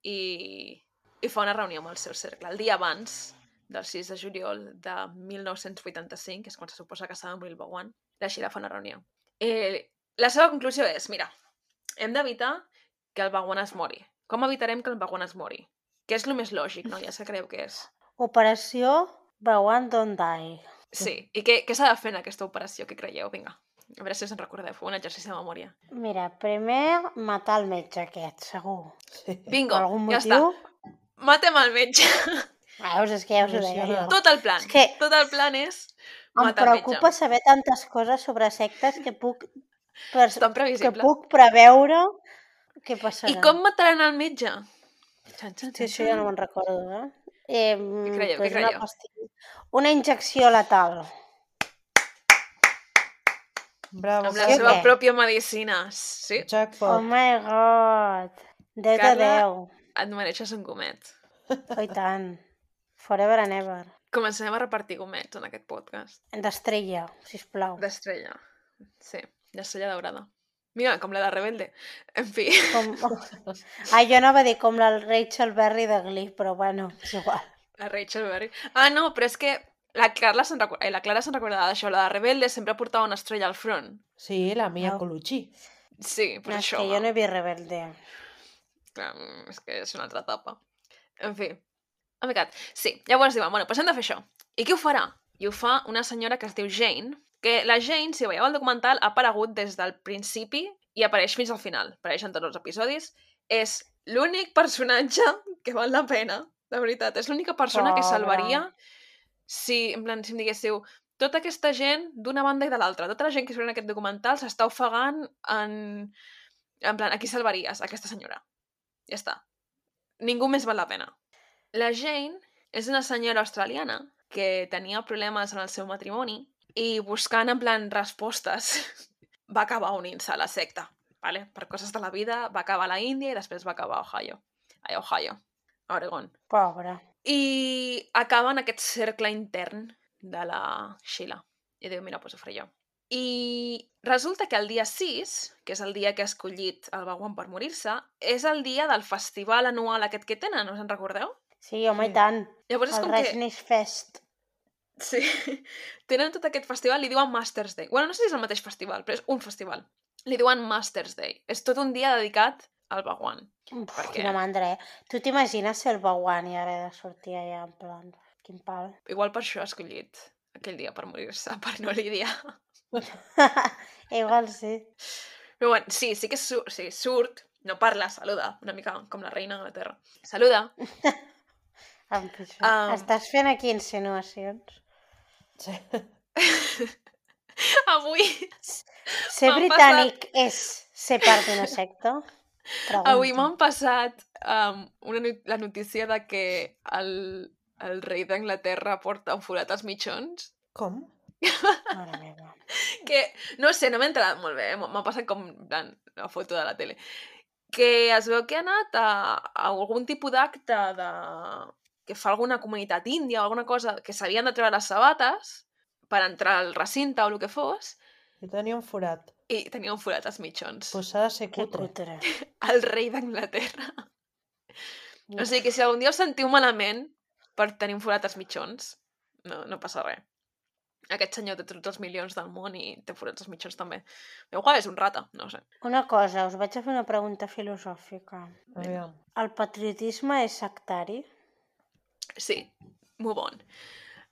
i fa una reunió amb el seu cercle. El dia abans del 6 de juliol de 1985, que és quan se suposa que s'ha de morir el Bhagwan, la Sheila fa una reunió. La seva conclusió és, mira, hem d'evitar que el Bhagwan es mori. Com evitarem que el Bhagwan es mori? Que és el més lògic, no? Ja se creu que és. Operació Bhagwan Don't Die. Sí, i què s'ha de fer en aquesta operació? Què creieu? Vinga, a veure si us en recordeu. Feu un exercici de memòria. Mira, primer matar el metge aquest, segur. Bingo, Per algun ja motiu... està. Matem el metge. Veus, és que ja us ho deia jo. Tot el plan. És que tot el plan és em matar el metge. preocupa saber tantes coses sobre sectes que puc, Tan previsible. que puc preveure què passarà. I com mataran el metge? Sí, això ja no me'n recordo, Què creieu? Què creieu? Una injecció letal. Bravo. Amb la Sí, seva què? pròpia medicina. Sí. Oh Jackpot. my god. 10 de Carla, 10. et mereixes un gomet. Oh, i tant. Forever and ever. Començarem a repartir gomets en aquest podcast. D'estrella, sisplau. D'estrella. Sí, d'estrella daurada. Mira, com la de Rebelde. En fi. Com... Ai, jo anava a dir com la Rachel Berry de Glee, però bueno, és igual. La Rachel Berry. Ah, no, però és que la Clara se'n recordava d'això. La de Rebelde sempre portava una estrella al front. Sí, la Mia Au. Colucci. Sí, No, pues és això. que jo no he vist Rebelde. Clar, és que és una altra etapa. En fi. Oh my god. Sí, llavors diuen, bueno, doncs hem de fer això. I qui ho farà? I ho fa una senyora que es diu Jane, que la Jane, si veieu el documental, ha aparegut des del principi i apareix fins al final. Apareix en tots els episodis. És l'únic personatge que val la pena, de veritat. És l'única persona que Pobra. salvaria si, en plan, si em diguéssiu, tota aquesta gent d'una banda i de l'altra, tota la gent que surt en aquest documental s'està ofegant en plan, a qui salvaries? Aquesta senyora. Ja està. Ningú més val la pena. La Jane és una senyora australiana que tenia problemes en el seu matrimoni i buscant, en plan, respostes, va acabar unint-se a la secta. Vale? Per coses de la vida, va acabar a la Índia i després va acabar a Ohio. A Ohio, a Oregon. Pobra. I acaba en aquest cercle intern de la Sheila. I diu, mira, doncs ho faré jo. I resulta que el dia 6, que és el dia que ha escollit el Bhagwan per morir-se, és el dia del festival anual aquest que tenen, us en recordeu? Sí, home, Sí. i tant. Llavors és El com que... Rajneesh Fest. Sí, tenen tot aquest festival, li diuen Masters Day. Bueno, no sé si és el mateix festival, però és un festival. Li diuen Masters Day. És tot un dia dedicat al Bhagwan. Uf, Per què? quina mandra, Tu t'imagines ser el Bhagwan i haver de sortir allà, en plan, quin pal. Igual per això ha escollit aquell dia per morir-se, per no lidiar. Igual sí. Però bueno, sí que surt, no parla, saluda, una mica com la reina d'Anglaterra. Saluda. Estàs fent aquí insinuacions? Sí. Avui Ser M'han britànic és ser part d'una secta? Avui Pregunto. m'han passat la notícia de que el rei d'Anglaterra porta un forat als mitjons. Com? Mare meva. Que, no sé, no m'he enterat molt bé, m'ha passat com en plan, la foto de la tele. Que es veu que ha anat a algun tipus d'acte que fa alguna comunitat índia o alguna cosa, que s'havien de treure les sabates per entrar al recinte o el que fos, I tenia un forat. i tenia un forat als mitjons. Pues s'ha de ser Que cutre. cutre. El rei d'Anglaterra. O sigui que si algun dia us sentiu malament per tenir un forat als mitjons, no passa res. Aquest senyor té tots els milions del món i té forats als mitjons també. Igual és un rata, no ho sé. Una cosa, us vaig a fer una pregunta filosòfica. Aviam. El patriotisme és sectari? Sí, move on.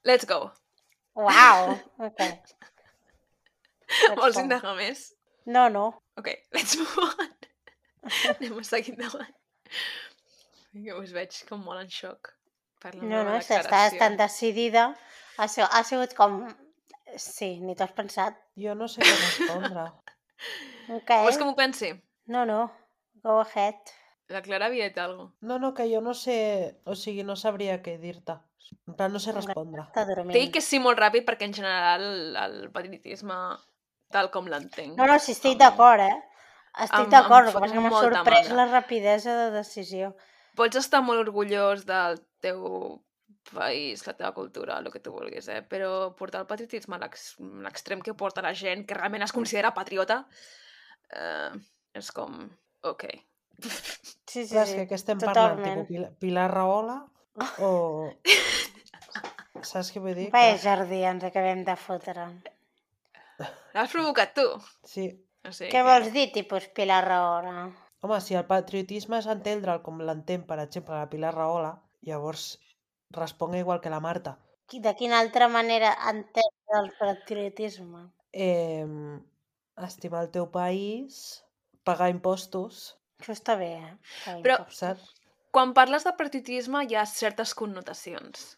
Let's go. Uau! Ok. Vols go. indagar més? No, no. Ok, let's move on. Anem a seguir endavant. Que us veig com molt en xoc per la No, meva no, si estàs declaració. tan decidida. Ha sigut com... Sí, ni t'ho has pensat. Jo no sé què respondre. Ok. Vols que m'ho pensi? No, no. Go ahead. La Clara havia dit alguna No, que jo no sé... O sigui, no sabria què dir-te. En plan, no sé respondre. Està dormint. Té que sí molt ràpid perquè en general el patriotisme, tal com l'entenc... No, sí, estic d'acord, Estic d'acord, el que fot passa que m'ha molta sorprès mandra. la rapidesa de decisió. Pots estar molt orgullós del teu país, la teva cultura, el que tu vulguis, però portar el patriotisme a l'extrem que porta la gent que realment es considera patriota és com... Ok. Sí, Clar, és que què estem parlant? totalment. Tipo, Pilar Rahola? O... Saps què vull dir? Vaya jardí ens acabem de fotre. L'has provocat tu? Sí. O sigui Què que- vols dir, tipus Pilar Rahola? Home, si el patriotisme és entendre'l com l'entén, per exemple, la Pilar Rahola, llavors responga igual que la Marta. De quina altra manera entens el patriotisme? Estimar el teu país, pagar impostos, Això està bé, Però- saps? Quan parles de patriotisme hi ha certes connotacions.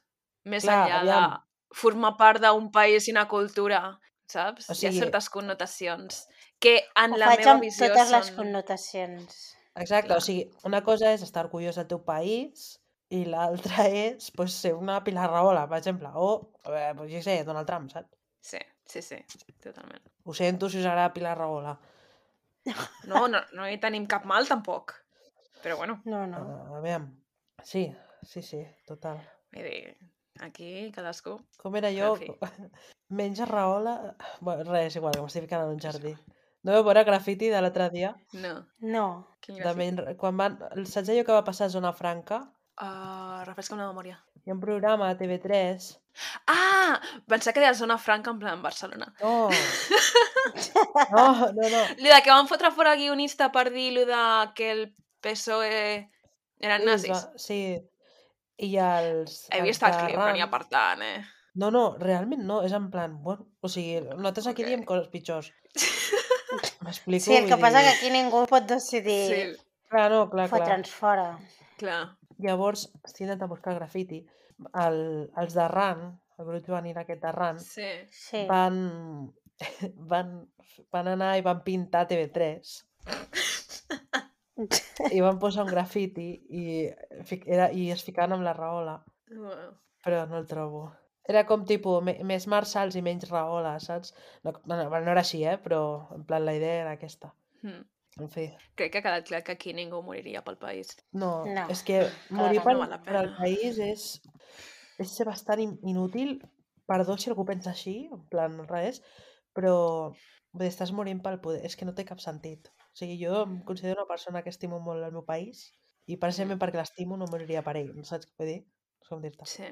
Més Clar, enllà aviam. de formar part d'un país i una cultura, saps? O Hi sigui- ha certes connotacions que en Ho la faig meva amb visió totes les són... connotacions. Exacte, Clar. o sigui, una cosa és estar orgullós del teu país i l'altra és pues, ser una Pilar Rahola, per exemple, o, pues, jo què sé, Donald Trump, saps? Sí, totalment. Ho sento si us agrada Pilar Rahola. No hi tenim cap mal, tampoc. Però bueno, No, no. A veure, sí, total. vull dir, aquí cadascú... Com era Però, jo? en fi, Menja rahola... Bueno, res, igual, que m'estic ficant en un jardí. No vau veure grafiti de l'altre dia? no. No. Quin De grafiti? quan van... Saps allò que va passar a Zona Franca? Refresca'm la memòria. Hi ha un programa a TV3. Ah! Pensava que deia Zona Franca en plan Barcelona. No, no. Lo de que van fotre fora el guionista per dir lo de que el PSOE eren Sí, nazis. sí. I els He vist el clip, però d'arran... n'hi ha per tant, No, realment no, és en plan, bueno, o sigui, nosaltres aquí Ok. diem coses pitjors. M'explico? Sí, el que Vull passa dir... que aquí ningú pot decidir Sí, Clar, no, clar. fotre'ns fora. clar. Llavors, estic intentant buscar el grafiti. Els d'Arran, el grup juvenil aquest d'Arran, Sí. Sí. van, van anar i van pintar TV3 i van posar un grafiti i es ficaven amb la rahola, Bueno. però no el trobo. Era com tipus més marçals i menys rahola, saps? No era així, però en plan la idea era aquesta. En fi, Crec que ha quedat clar que aquí ningú moriria pel país. no, No, és que morir clarament no val la per al pena. país és ser bastant inútil, perdó si algú pensa així, en plan res, però vull dir, estàs morint pel poder, és que no té cap sentit. O sigui, jo em considero una persona que estimo molt el meu país i precisament perquè l'estimo no moriria per ell, no saps què vull dir? És com dir-te. Sí.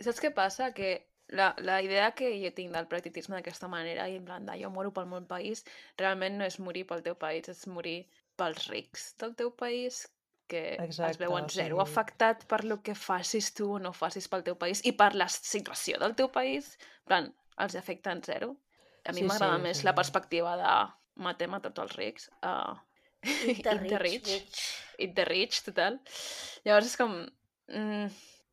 Saps què passa? Que la idea que jo tinc del practicisme d'aquesta manera i en plan de jo moro pel meu país, realment no és morir pel teu país, és morir pels rics del teu país que Exacte, es veuen o zero sigui- afectat per lo que facis tu o no facis pel teu país i per la situació del teu país, en plan, els afecta en zero. A mi Sí, m'agrada sí, més sí. la perspectiva de matem a tots els rics. Eat the rich, bitch. Eat the rich, total. Llavors és com...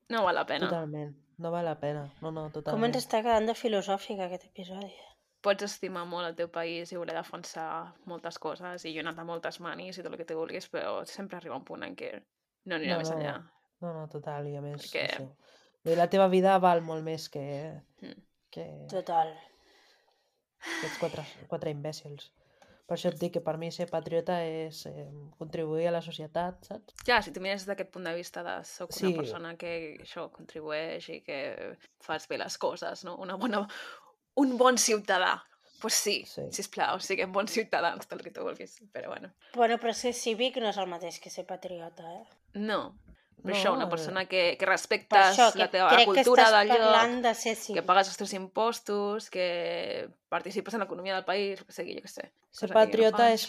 no val la pena. Totalment, no val la pena, no, Com ens totalment. està quedant de filosòfic aquest episodi? Pots estimar molt el teu país i voler defensar moltes coses i jo he anat a moltes manis i tot el que tu vulguis, però sempre arriba un punt en què no anirà més enllà. No, total, i a més, Perquè- això. Vull dir, la teva vida val molt més que Total. aquests quatre imbècils. Per això et dic que per mi ser patriota és contribuir a la societat, saps? Ja, si tu mires des d'aquest punt de vista de soc Sí. una persona que això contribueix i que fas bé les coses, no? Un bon ciutadà. Doncs pues sí, Sí. sisplau, siguem bons ciutadans, tot el que tu vulguis, però bueno. Bueno, però ser cívic no és el mateix que ser patriota, No, però No, això, una persona que Per respectes això, que la teva crec que cultura estàs del lloc, parlant de ser que cívic. pagues els teus impostos, que participes en l'economia del país, el que sigui, jo què sé. ser cosa que jo no patriota faig. és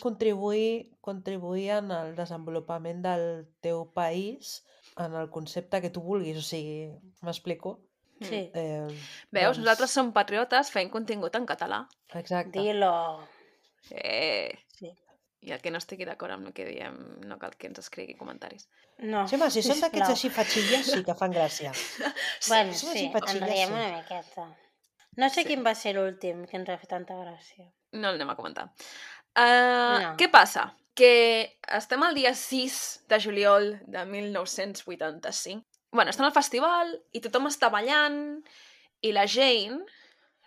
contribuir en el desenvolupament del teu país en el concepte que tu vulguis, o sigui, m'explico? Sí, Veus, nosaltres som patriotes fent contingut en català. Exacte. dilo. Sí. I el que no estigui d'acord amb el que diem no cal que ens escrigui comentaris. No, Sí, home, si són d'aquests sisplau. així fatxilles, sí que fan gràcia. Bueno, som sí, així fatxilles, ens riem sí. una miqueta. No sé Sí. quin va ser l'últim que ens va fer tanta gràcia. No l'anem a comentar. No. Què passa? Que estem al dia 6 de juliol de 1985. Bueno, estem al festival i tothom està ballant i la Jane,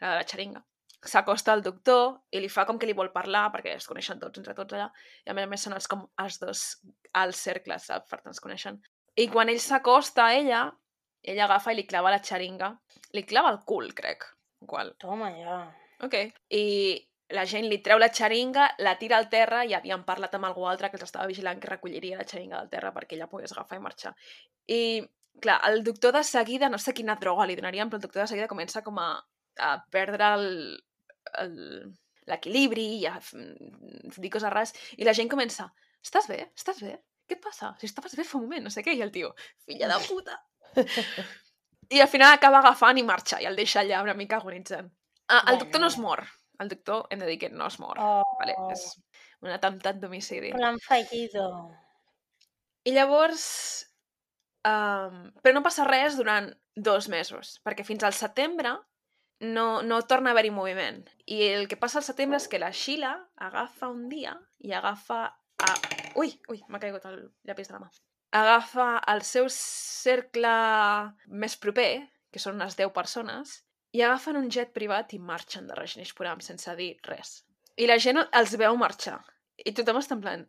la de la xeringa, s'acosta al doctor i li fa com que li vol parlar perquè es coneixen tots entre tots allà i a més són els dos als cercles, saps? Per tant es coneixen. I quan ell s'acosta a ella agafa i li clava la xeringa. Li clava el cul, crec. Qual? Toma, ja. Ok. I la gent li treu la xeringa, la tira al terra i havien parlat amb algú altre que els estava vigilant que recolliria la xeringa del terra perquè ella pogués agafar i marxar. I, clar, el doctor de seguida, no sé quina droga li donarien, però el doctor de seguida comença com a perdre l'equilibri i a dir coses rares. I la gent comença, estàs bé? Estàs bé? Què et passa? Si estaves bé fa un moment, no sé què. I el tio, filla de puta. I al final acaba agafant i marxa i el deixa allà una mica agonitzant. El doctor no es mor. El doctor, hem de dir que no es mor. Oh. Vale? És un atemptat d'homicidi. Plan fallido. I llavors... però no passa res durant 2 mesos, perquè fins al setembre no torna a haver-hi moviment. I el que passa al setembre és que la Sheila agafa un dia i agafa... Ui, m'ha caigut el llapis de la mà. Agafa el seu cercle més proper, que són unes 10 persones, i agafen un jet privat i marxen de Rajneeshpuram sense dir res. I la gent els veu marxar. I tothom està en plan,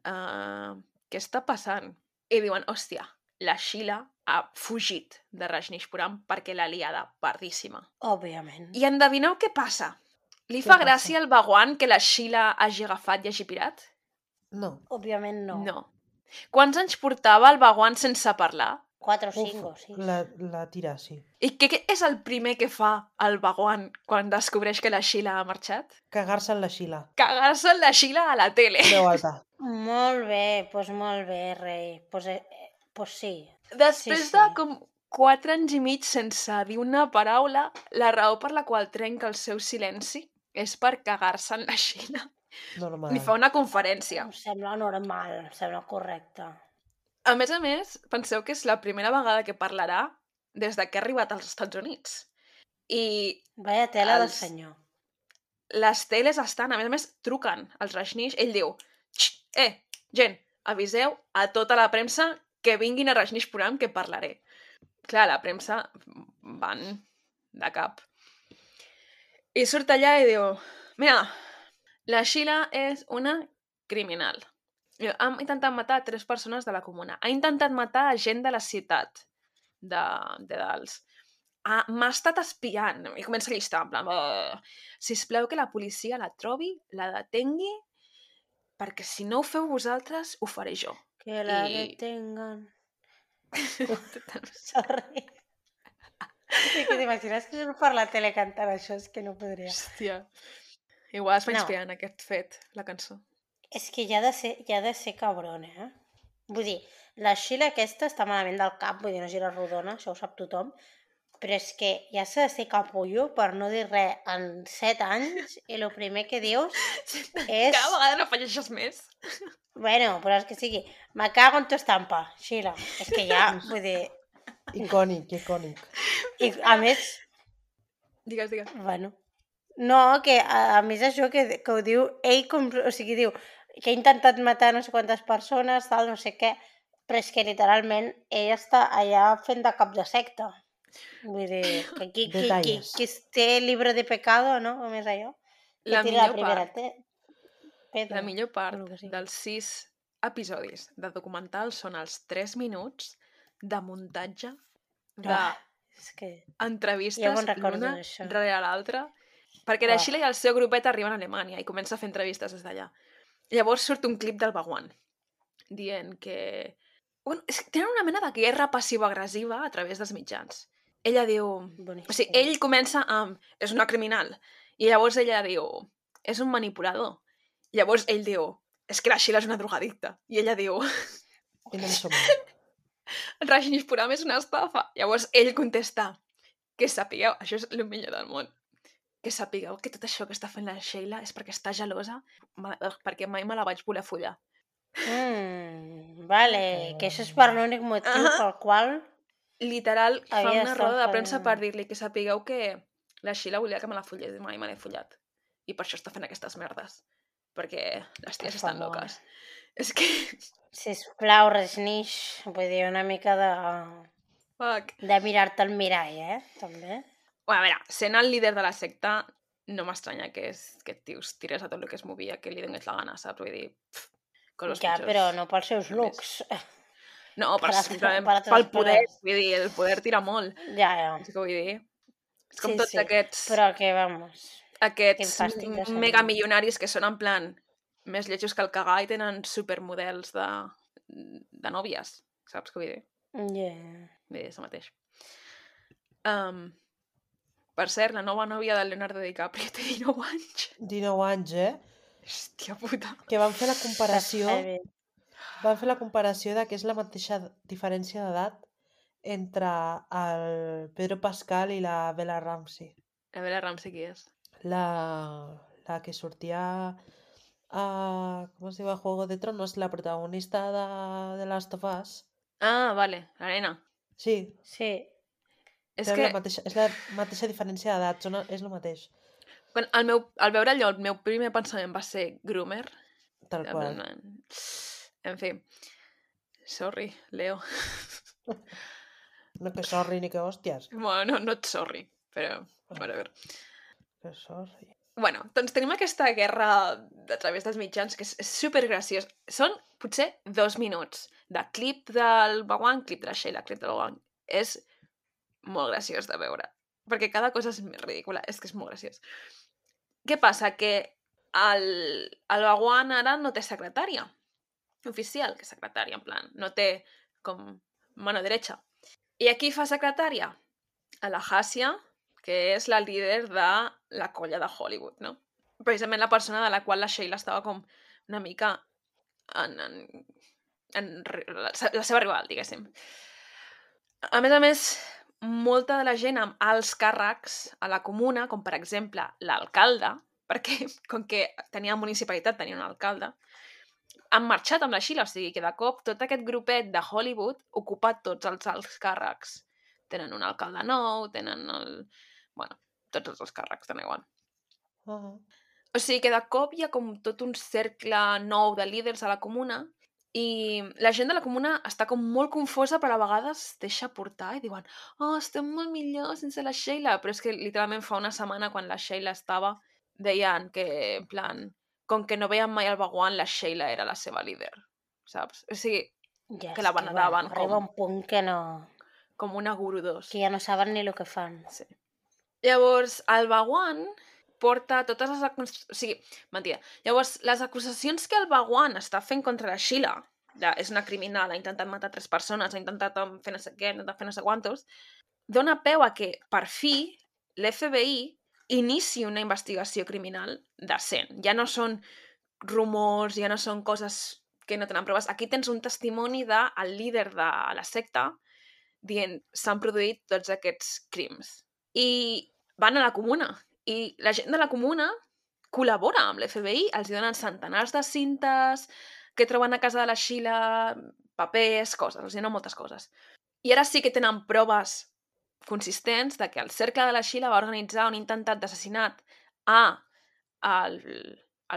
què està passant? i diuen, hòstia, la Sheila ha fugit de Rajneeshpuram perquè l'ha liada pardíssima. Òbviament. I endevineu què passa? Li Què fa passa? gràcia al Bhagwan que la Sheila hagi agafat i hagi pirat? No. Òbviament no. No. Quants anys portava el Bhagwan sense parlar? 4 o Uf, 5 o 6. la tira, sí. I què és el primer que fa el Bhagwan quan descobreix que la Sheila ha marxat? Cagar-se en la Sheila. Cagar-se en la Sheila a la tele. Veu alta. Molt bé, rei. Pues sí. Després Sí, de sí. com 4 anys i mig sense dir una paraula, la raó per la qual trenca el seu silenci és per cagar-se en la Sheila. Normal. Ni fa una conferència. Em sembla normal, em sembla correcte. A més, penseu que és la primera vegada que parlarà des de que ha arribat als Estats Units. I Vaya tela del Els- senyor. les teles estan, a més, truquen als Rajneesh. Ell diu, gent, aviseu a tota la premsa que vinguin a Rajneeshpuram que parlaré. Clar, la premsa van de cap. I surt allà i diu, mira, la Sheila és una criminal. Ha intentat matar 3 persones de la comuna. Ha intentat matar gent de la ciutat de Dals. M'ha estat espiant. I comença a llistar, en plan, sisplau que la policia la trobi, la detengui, perquè si no ho feu vosaltres, ho faré jo. Que la I- detengan. Sorry. I que t'imagines que surt per la tele cantant això? És que no podria. Hòstia. Igual es va No. inspirar en aquest fet, la cançó. És que ja ha de ser cabron, eh? Vull dir, la Sheila aquesta està malament del cap, vull dir, no gira rodona, això ho sap tothom, però és que ja s'ha de ser capullo per no dir res en 7 anys i el primer que dius és... Cada vegada no afegeixes més. Bueno, però és que sigui, me cago en tu estampa, Sheila. És que ja, vull dir... Icònic, icònic. I a més, Digues. bueno... No, que a més això que ho diu ell, o sigui, diu que ha intentat matar no sé quantes persones, tal, no sé què, però és que literalment ell està allà fent de cap de secta. Vull dir, que Detalles. qui té llibre de pecado, no? Com és allò? Que La tira millor primera part, pedra. la millor part o lo que sigui. dels 6 episodis de documental són els 3 minuts de muntatge, És que... d'entrevistes Ja me'n recordo l'una d'això. darrere l'altra, perquè la Ah. Sheila i el seu grupet arriben a Alemanya i comença a fer entrevistes des d'allà. Llavors surt un clip del Bhagwan dient que... Bueno, tenen una mena de guerra passiva-agressiva a través dels mitjans. Ella diu... Boníssim. O sigui, ell comença amb... És una criminal. I llavors ella diu... És un manipulador. I llavors ell diu... És que la Sheila és una drogadicta. I ella diu... I no en som. Rajneeshpuram és una estafa. Llavors ell contesta... Que sapigueu... Això és el millor del món. Que sapigueu que tot això que està fent la Sheila és perquè està gelosa, perquè mai me la vaig voler follar. Vale, que això és per l'únic motiu pel qual... Literal, fa Havia una estat roda de fent- premsa per dir-li que sapigueu que la Sheila volia que me la follés i mai me l'he follat. I per això està fent aquestes merdes. Perquè les ties Per estan favor. loques. És que... Sisplau, Rajneesh, vull dir, una mica Fuck. de mirar-te al mirall, també. Bueno, a veure, sent el líder de la secta, no m'estranya que aquest tio es tirés a tot el que es movia, que li donés la gana, saps? Vull dir, coses Ja, pitjors. però no pels seus A looks. No, per altres- simplement per altres pel poder. coses. Vull dir, el poder tira molt. Ja. És que vull dir... És com Sí, tots sí, aquests... Però que, vamos... Quin Aquests fàstic de senyor. megamilionaris que són en plan més lletjos que el cagar i tenen supermodels de nòvies, saps què vull dir? Yeah. Vull dir, això mateix. Per cert, la nova nòvia del Leonardo DiCaprio té 19 anys. 19 anys, Hòstia puta. Que van fer la comparació... Heavy. Van fer la comparació de que és la mateixa diferència d'edat entre el Pedro Pascal i la Bella Ramsey. A veure, Ramsey qui és? La que sortia a... ¿Cómo se llama? Juego de Tronos, la protagonista de Last of Us. Ah, vale, la nena. Sí, Sí. És té que és la mateixa diferència d'edat, és el mateix. quan al veure allò, el meu primer pensament va ser groomer. Tal qual. En fi. Sorry, Leo. No que sorri ni que hòsties. Bueno, no et sorry, però... Whatever. Que sorri. Bueno, doncs tenim aquesta guerra a través dels mitjans que és supergraciós. Són potser 2 minuts, de clip del Bawan, clip de la Sheila, clip del Bawan. És molt graciós de veure, perquè cada cosa és més ridícula, és que és molt graciós. Què passa? Que el Bawan ara no té secretària oficial, que secretària, en plan, no té com mano derecha. I aquí fa secretària? A la Hasia, que és la líder de la colla de Hollywood, no? Precisament la persona de la qual la Sheila estava com una mica la seva rival, diguéssim. A més, molta de la gent amb alts càrrecs a la comuna, com per exemple l'alcalde, perquè com que tenia municipalitat, tenia un alcalde, han marxat amb la Sheila, o sigui que de cop tot aquest grupet de Hollywood ocupa tots els alts càrrecs. Tenen un alcalde nou, tenen tots els càrrecs, tenen igual. O sigui que de cop hi ha com tot un cercle nou de líders a la comuna i la gent de la comuna està com molt confosa, però a vegades deixa portar i diuen estem molt millor sense la Sheila, però és que literalment fa una setmana quan la Sheila estava deien que, en plan, com que no veien mai el Bawan, la Sheila era la seva líder, saps? O sigui, que la veneraven arriba un punt que no... com una guru 2. Que ja no saben ni el que fan. Sí. Llavors, el Bawan porta totes les... O sigui, mentida. Llavors, les acusacions que el Bawan està fent contra la Sheila, és una criminal, ha intentat matar 3 persones, ha intentat fer no sé què, ha intentat fer no sé quantos, dona peu a que, per fi, l'FBI inici una investigació criminal decent. Ja no són rumors, ja no són coses que no tenen proves. Aquí tens un testimoni del líder de la secta dient s'han produït tots aquests crims. I van a la comuna. I la gent de la comuna col·labora amb l'FBI, els donen centenars de cintes que troben a casa de la Sheila, papers, coses, els donen moltes coses. I ara sí que tenen proves consistents de que el cercle de la Sheila va organitzar un intentat d'assassinat al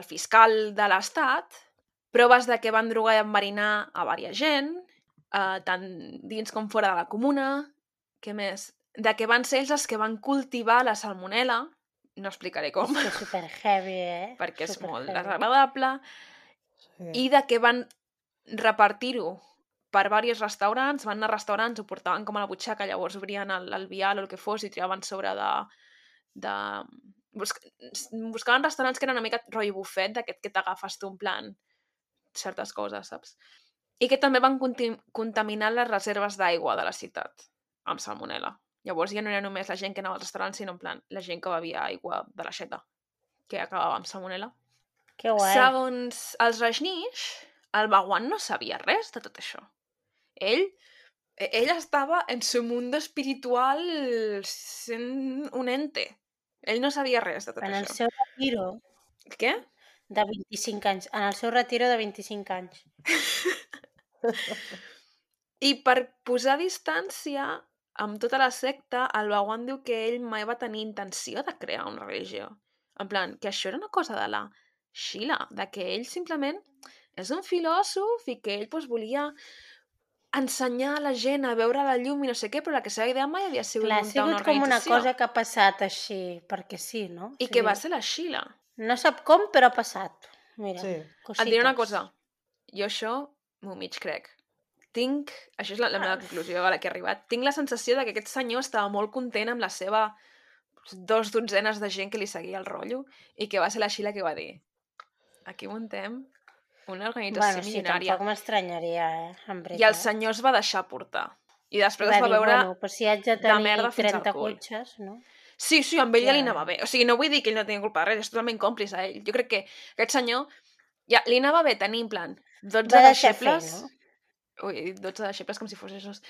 fiscal de l'estat, proves de que van drogar i enverinar a diversa gent, tant dins com fora de la comuna, què més? De que van ser ells els que van cultivar la salmonella, no explicaré com. És que és super heavy, perquè és super molt heavy. desagradable, i de que van repartir-ho per diversos restaurants, van anar a restaurants, ho portaven com a la butxaca, llavors obrien el vial o el que fos i tiraven sobre buscaven restaurants que eren una mica rotllo bufet, d'aquest que t'agafes tu en plan certes coses, saps? I que també van contaminar les reserves d'aigua de la ciutat amb salmonella. Llavors ja no era només la gent que anava als restaurants, sinó en plan la gent que bevia aigua de l'aixeta, que acabava amb salmonella. Que guai. Segons els Rajneesh, el Bawan no sabia res de tot això. Ell estava en su mundo espiritual sent un ente. Ell no sabia res de tot En el això. seu retiro Què? de 25 anys. En el seu retiro de 25 anys. I per posar distància amb tota la secta, el Bawan diu que ell mai va tenir intenció de crear una religió. En plan, que això era una cosa de la Sheila, de que ell simplement és un filòsof i que ell volia ensenyar a la gent a veure la llum i no sé què, però la seva idea mai havia sigut Clar, ha muntar una sigut com una organització. cosa que ha passat així, perquè sí, no? I que va ser la Sheila. No sap com, però ha passat. Mira, Sí. cosites. Et diré una cosa. Jo això m'ho mig crec. Això és la meva conclusió a la que he arribat, tinc la sensació de que aquest senyor estava molt content amb la seva 2 dotzenes de gent que li seguia el rotllo i que va ser la Sheila que va dir aquí muntem una organització milionària. Tampoc m'estranyaria, en veritat. I el senyor es va deixar portar. I després es va veure però si haig de de tenir merda fins al 30 cul. cotxes, no? Sí, amb ell ja li Ja. anava bé. O sigui, no vull dir que ell no tenia culpa de res, és totalment còmplice a ell. Jo crec que aquest senyor ja li anava bé tenir, en plan, 12 Va deixar fer, deixebles... no? Ui, 12 deixebles com si fos esos.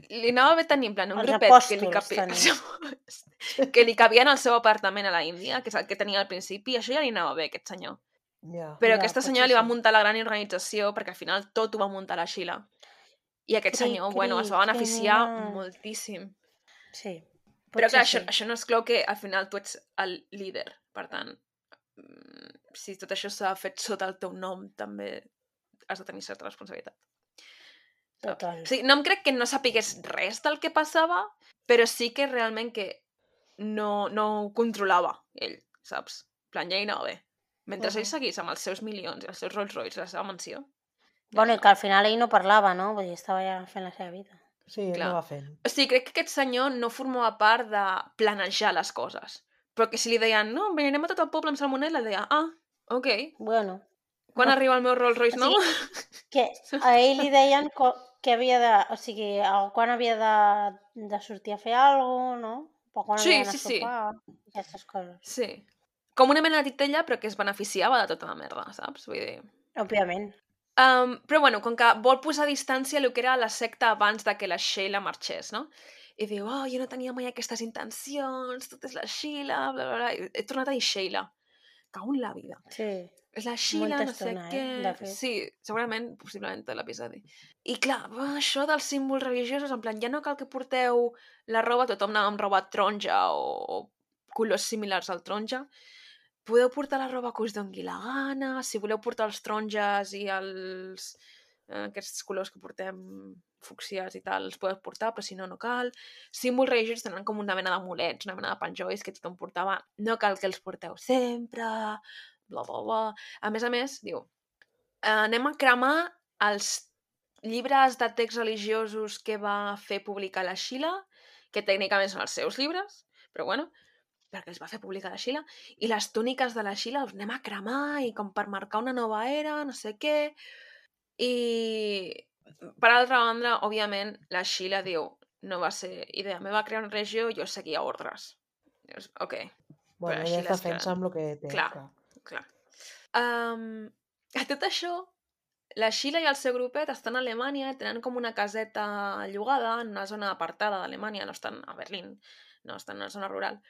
Li anava bé tenir, en plan, un Els grupet que li cabia en el seu apartament a la Índia, que és el que tenia al principi, i això ja li anava bé, aquest senyor. Ja. Però Ja, aquesta potser senyora li va sí. muntar la gran organització, perquè al final tot ho va muntar la Sheila. I aquest senyor, es va beneficiar moltíssim. Sí. Però clar, sí. això no exclou que al final tu ets el líder. Per tant, si tot això s'ha fet sota el teu nom, també has de tenir certa responsabilitat. Total. O sigui, no em crec que no sapigués res del que passava, però sí que realment que no ho controlava ell, saps? En plan, ja hi anava bé. Mentre ell seguís amb els seus milions i els seus Rolls Royce a la seva mansió, Bueno, i que al final ell no parlava, no? Vull dir, estava ja fent la seva vida. Sí, Clar. no va fent. O sigui, crec que aquest senyor no formava part de planejar les coses. Però que si li deien, no, anirem a tot el poble amb salmonella, deia, ok. Bueno. Quan arriba el meu Rolls Royce, O no? Que a ell li deien que havia de... O sigui, quan havia de sortir a fer alguna cosa, no? O quan Sí, havia d'anar sí, a sí. sopar, aquestes coses. Sí. Com una mena de titella, però que es beneficiava de tota la merda, saps? Vull dir... Òbviament. Però bueno, com que vol posar a distància el que era la secta abans de que la Sheila marxés, no? I diu, jo no tenia mai aquestes intencions, tot és la Sheila, bla, bla, bla. He tornat a dir Sheila. Cago en la vida. Sí. És la Sheila, Molta no sé estona, què... de fet. Sí, segurament, possiblement tot l'episodi. I clar, això dels símbols religiosos, en plan, ja no cal que porteu la roba, tothom anava amb roba taronja o colors similars al taronja. Podeu portar la roba que us doni la gana, si voleu portar els taronges i aquests colors que portem fucsiats i tal, els podeu portar, però si no, no cal. Símbols religiosos tenen com una mena d'amulets, una mena de penjolls que tothom portava. No cal que els porteu sempre, bla, bla, bla. A més, diu, anem a cremar els llibres de texts religiosos que va fer publicar la Sheila, que tècnicament són els seus llibres, però bueno, perquè els va fer publicar la Sheila, i les túniques de la Sheila els anem a cremar i com per marcar una nova era, no sé què. I per altra banda, òbviament, la Sheila diu, no va ser idea meva crear una regió, jo seguia ordres. Dius, ok. Bueno, Però ella Sheila es és que... defensa amb el que té. Clar. A tot això, la Sheila i el seu grupet estan a Alemanya, tenen com una caseta llogada en una zona apartada d'Alemanya, no estan a Berlín, no estan en una zona rural.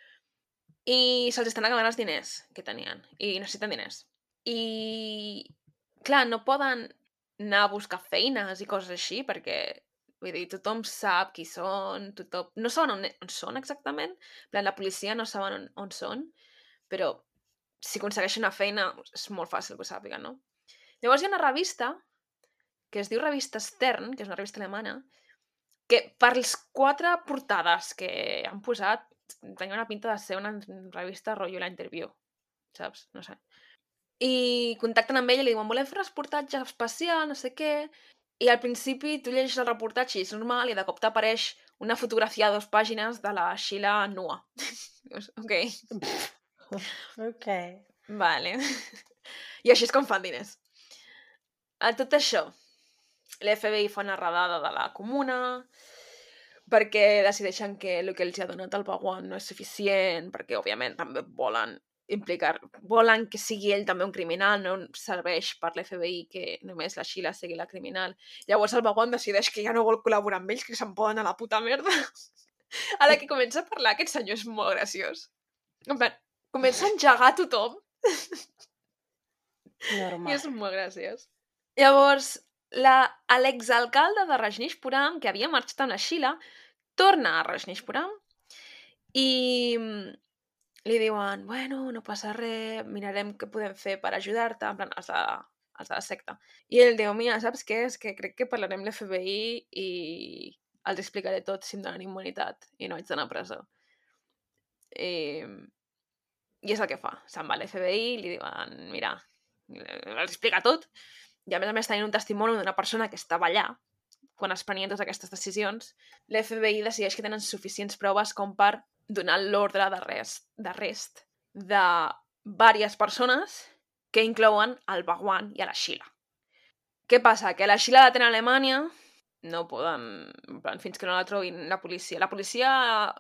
I se'ls estan acabant els diners que tenien. I necessiten diners. I, clar, no poden anar a buscar feines i coses així, perquè, vull dir, tothom sap qui són, tothom... No saben on són exactament, en plan, la policia no saben on són, però si aconsegueixen una feina és molt fàcil que ho sàpiguen, no? Llavors hi ha una revista que es diu Revista Stern, que és una revista alemana, que per les 4 portades que han posat tenia una pinta de ser una revista rotllo La Interview, saps? No sé. I contacten amb ella i li diuen, volem fer un reportatge especial, no sé què, i al principi tu llegeixes el reportatge i és normal i de cop t'apareix una fotografia de 2 pàgines de la Sheila nua. Ok. Ok. Vale. I així és com fan diners. A tot això, l'FBI fa una redada de la comuna perquè decideixen que el que els ha donat el Bhagwan no és suficient, perquè, òbviament, també volen que sigui ell també un criminal, no serveix per l'FBI que només la Sheila sigui la criminal. Llavors el Bhagwan decideix que ja no vol col·laborar amb ells, que se'n poden a la puta merda. A la que comença a parlar, aquest senyor és molt graciós. En plan, comença a engegar tothom. Normal. I és molt graciós. Llavors, l'exalcalde de Rajneeshpuram, que havia marxat amb la Sheila, torna a Rajneeshpuram i li diuen, bueno, no passa res, mirarem què podem fer per ajudar-te, en plan, els de la secta. I ell diu, mira, saps què? És que crec que parlarem amb l'FBI i els explicaré tot si em donen immunitat i no haig d'anar a presó. I és el que fa. Se'n va a l'FBI i li diuen, mira, els explica tot. I a més tenint un testimoni d'una persona que estava allà quan es prenien totes aquestes decisions, l'FBI decideix que tenen suficients proves com per donar l'ordre d'arrest de diverses persones que inclouen el Bhagwan i a la Sheila. Què passa? Que la Sheila la tenen a Alemanya, no poden... En plan, fins que no la trobin la policia. La policia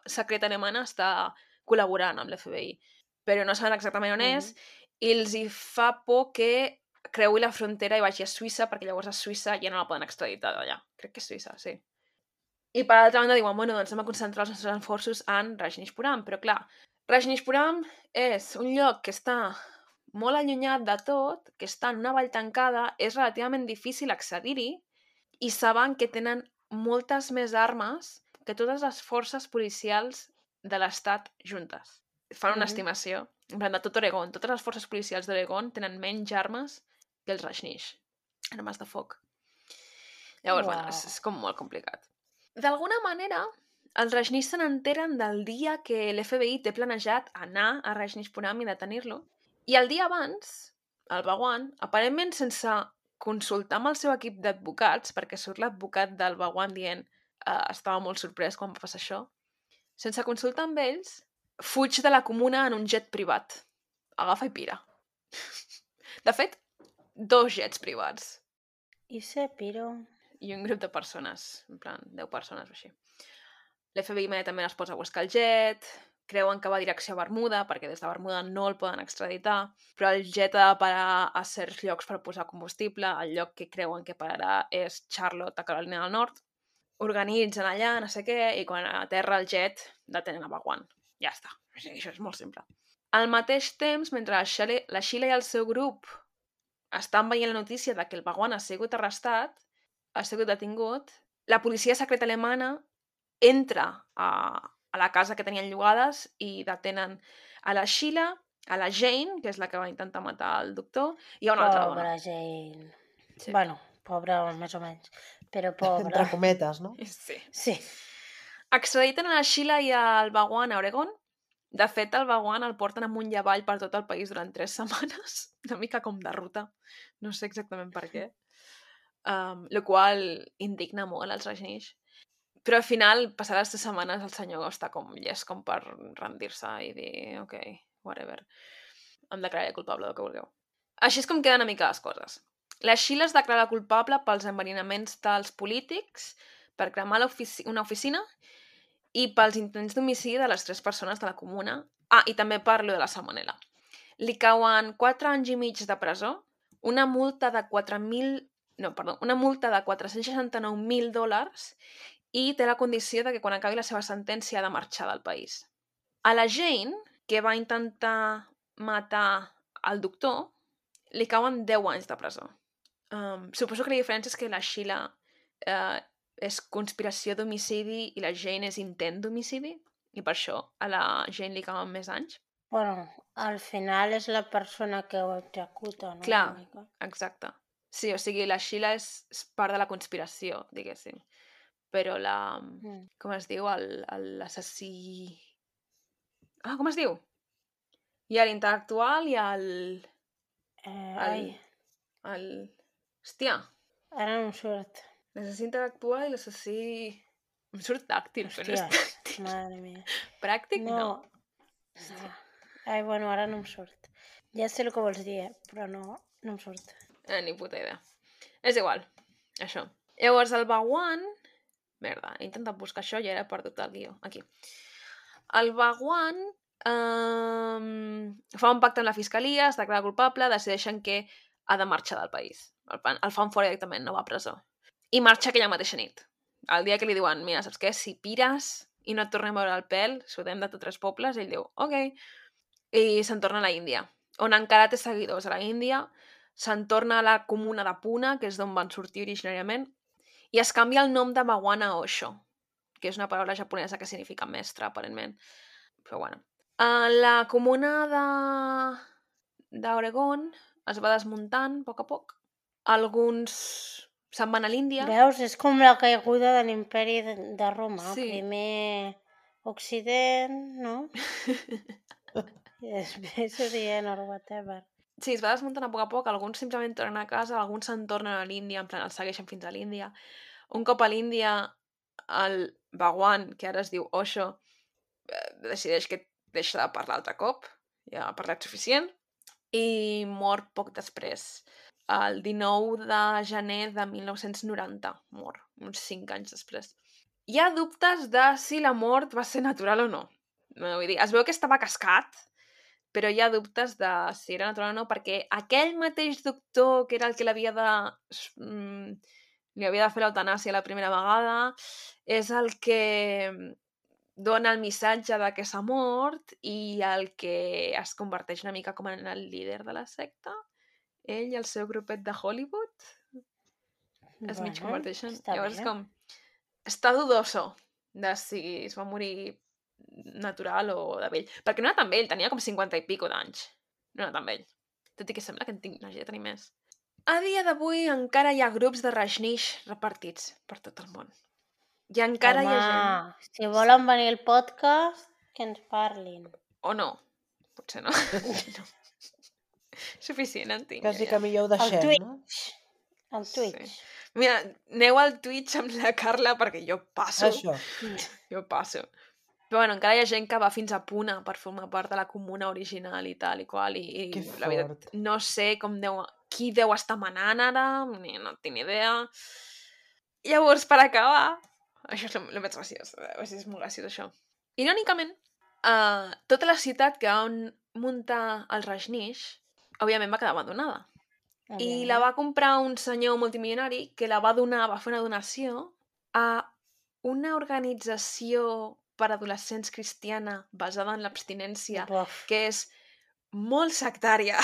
secreta alemana està col·laborant amb l'FBI, però no saben exactament on és, i els hi fa por que creui la frontera i vagi a Suïssa, perquè llavors a Suïssa ja no la poden extraditar d'allà. Crec que és Suïssa, sí. I per altra banda diuen, bueno, doncs anem a concentrar els nostres esforços en Rajneeshpuram, però clar, Rajneeshpuram és un lloc que està molt allunyat de tot, que està en una vall tancada, és relativament difícil accedir-hi, i saben que tenen moltes més armes que totes les forces policials de l'estat juntes. Fan una estimació. En plan, de tot Oregon, totes les forces policials d'Oregon tenen menys armes que els Rajneesh. Armes de foc. Llavors, bueno, és com molt complicat. D'alguna manera, els Rajneesh se n'enteren del dia que l'FBI té planejat anar a Rajneeshpuram i detenir-lo. I el dia abans, el Bhagwan, aparentment sense consultar amb el seu equip d'advocats, perquè surt l'advocat del Bhagwan dient estava molt sorprès quan va passar això, sense consultar amb ells, fuig de la comuna en un jet privat. Agafa i pira. De fet, 2 jets privats. I se piro. I un grup de persones, en plan 10 persones o així. L'FBI immediatament es posa a buscar el jet, creuen que va direcció a Bermuda, perquè des de Bermuda no el poden extraditar, però el jet ha de parar a certs llocs per posar combustible, el lloc que creuen que pararà és Charlotte, a Carolina del Nord. Organitzen allà, no sé què, i quan aterra el jet, detenen a Bhagwan. Ja està. O sigui, això és molt simple. Al mateix temps, mentre la Sheila i el seu grup estan veient la notícia de que el Bhagwan ha sigut arrestat, ha sigut detingut, la policia secreta alemana entra a la casa que tenien llogades i detenen a la Sheila, a la Jane, que és la que va intentar matar el doctor, i a una altra dona. Pobra Jane. Sí. Bueno, pobra més o menys, però pobra. Entre cometes, no? Sí. Sí. Extraditen a la Sheila i al Bhagwan a Oregon. De fet, el Bhagwan el porten amunt i avall per tot el país durant 3 setmanes. Una mica com de ruta. No sé exactament per què. Lo qual indigna molt als Rajneesh. Però al final, passades 3 setmanes, el senyor està com llest com per rendir-se i dir, ok, whatever. Em declararé culpable del que vulgueu. Així és com queden una mica les coses. La Sheila es declara culpable pels enverinaments dels polítics, per cremar una oficina i pels intents d'homicidi de les 3 persones de la comuna. I també parlo de la salmonella. Li cauen 4 anys i mig de presó, una multa de $469.000 i té la condició de que quan acabi la seva sentència ha de marxar del país. A la Jane, que va intentar matar el doctor, li cauen 10 anys de presó. Suposo que la diferència és que la Sheila és conspiració d'homicidi i la Jane és intent d'homicidi, i per això a la Jane li cauen més anys. Bueno, al final és la persona que ho executa, no? Clar, Una mica. exacte. Sí, o sigui, la Sheila és part de la conspiració, diguéssim. Però com es diu? L'assassí... com es diu? Hi ha l'intel·lectual i Hòstia, Ara no em surt. l'assassí intel·lectual i l'assassí... Em surt tàctil, però no és Hòsties, tàctil. madre mia. Pràctic, no. No. Ai, bueno, ara no em surt. Ja sé el que vols dir, però no em surt. Ni puta idea. És igual, això. Llavors, el Bhagwan... Merda, he intentat buscar això i ara he perdut el guió. Aquí. El Bhagwan fa un pacte amb la fiscalia, es declara culpable, decideixen que ha de marxar del país. El fan fora directament, no va a presó. I marxa aquella mateixa nit. El dia que li diuen, mira, saps què? Si pires i no et tornem a veure el pèl, sudem de tots 3 pobles, ell diu, ok. I se'n torna a la Índia, on encara té seguidors a la Índia, se'n torna a la comuna de Pune, que és d'on van sortir originàriament, i es canvia el nom de Bhagwan a Osho, que és una paraula japonesa que significa mestre, aparentment. Però bueno. La comuna d'Oregon es va desmuntant a poc. Alguns se'n van a l'Índia. Veus? És com la caiguda de l'imperi de Roma. Sí. Primer Occident, no? I després Orient o whatever. Sí, es va desmuntant a poc. Alguns simplement tornen a casa, alguns se'n tornen a l'Índia, en plan, els segueixen fins a l'Índia. Un cop a l'Índia, el Bhagwan, que ara es diu Osho, decideix que deixa de parlar altre cop, ja ha parlat suficient, i mor poc després. El 19 de gener de 1990 mor, uns 5 anys després. Hi ha dubtes de si la mort va ser natural o no. Vull dir, es veu que estava cascat, però hi ha dubtes de si era natural o no, perquè aquell mateix doctor, que era el que li havia de fer l'eutanàsia la primera vegada, és el que dona el missatge de que s'ha mort i el que es converteix una mica com en el líder de la secta. Ell i el seu grupet de Hollywood es mig converteixen. Llavors com... Està dudoso de si es va morir natural o de vell. Perquè no era tan vell, tenia com 50 i pico d'anys. No era tan vell. Tot i que sembla que n'hagi de tenir més. A dia d'avui encara hi ha grups de Rajneesh repartits per tot el món. I encara hi ha gent... Si volen venir al podcast, que ens parlin. O no. Potser no. No. Suficient, en tinc. Quasi que millor ho deixem, no? Al Twitch. Mira, aneu al Twitch amb la Carla perquè jo passo. Això. Jo passo. Però bueno, encara hi ha gent que va fins a Puna per formar part de la comuna original i tal i qual. I Que la veritat, fort. no sé qui deu estar manant ara, no tinc ni idea. Llavors, per acabar, això és el més graciós, és molt graciós això. Irònicament, tota la ciutat que van muntar el Rajneesh, òbviament va quedar abandonada. I la va comprar un senyor multimilionari que la va donar, va fer una donació a una organització per adolescents cristiana basada en l'abstinència, Buf. que és molt sectària,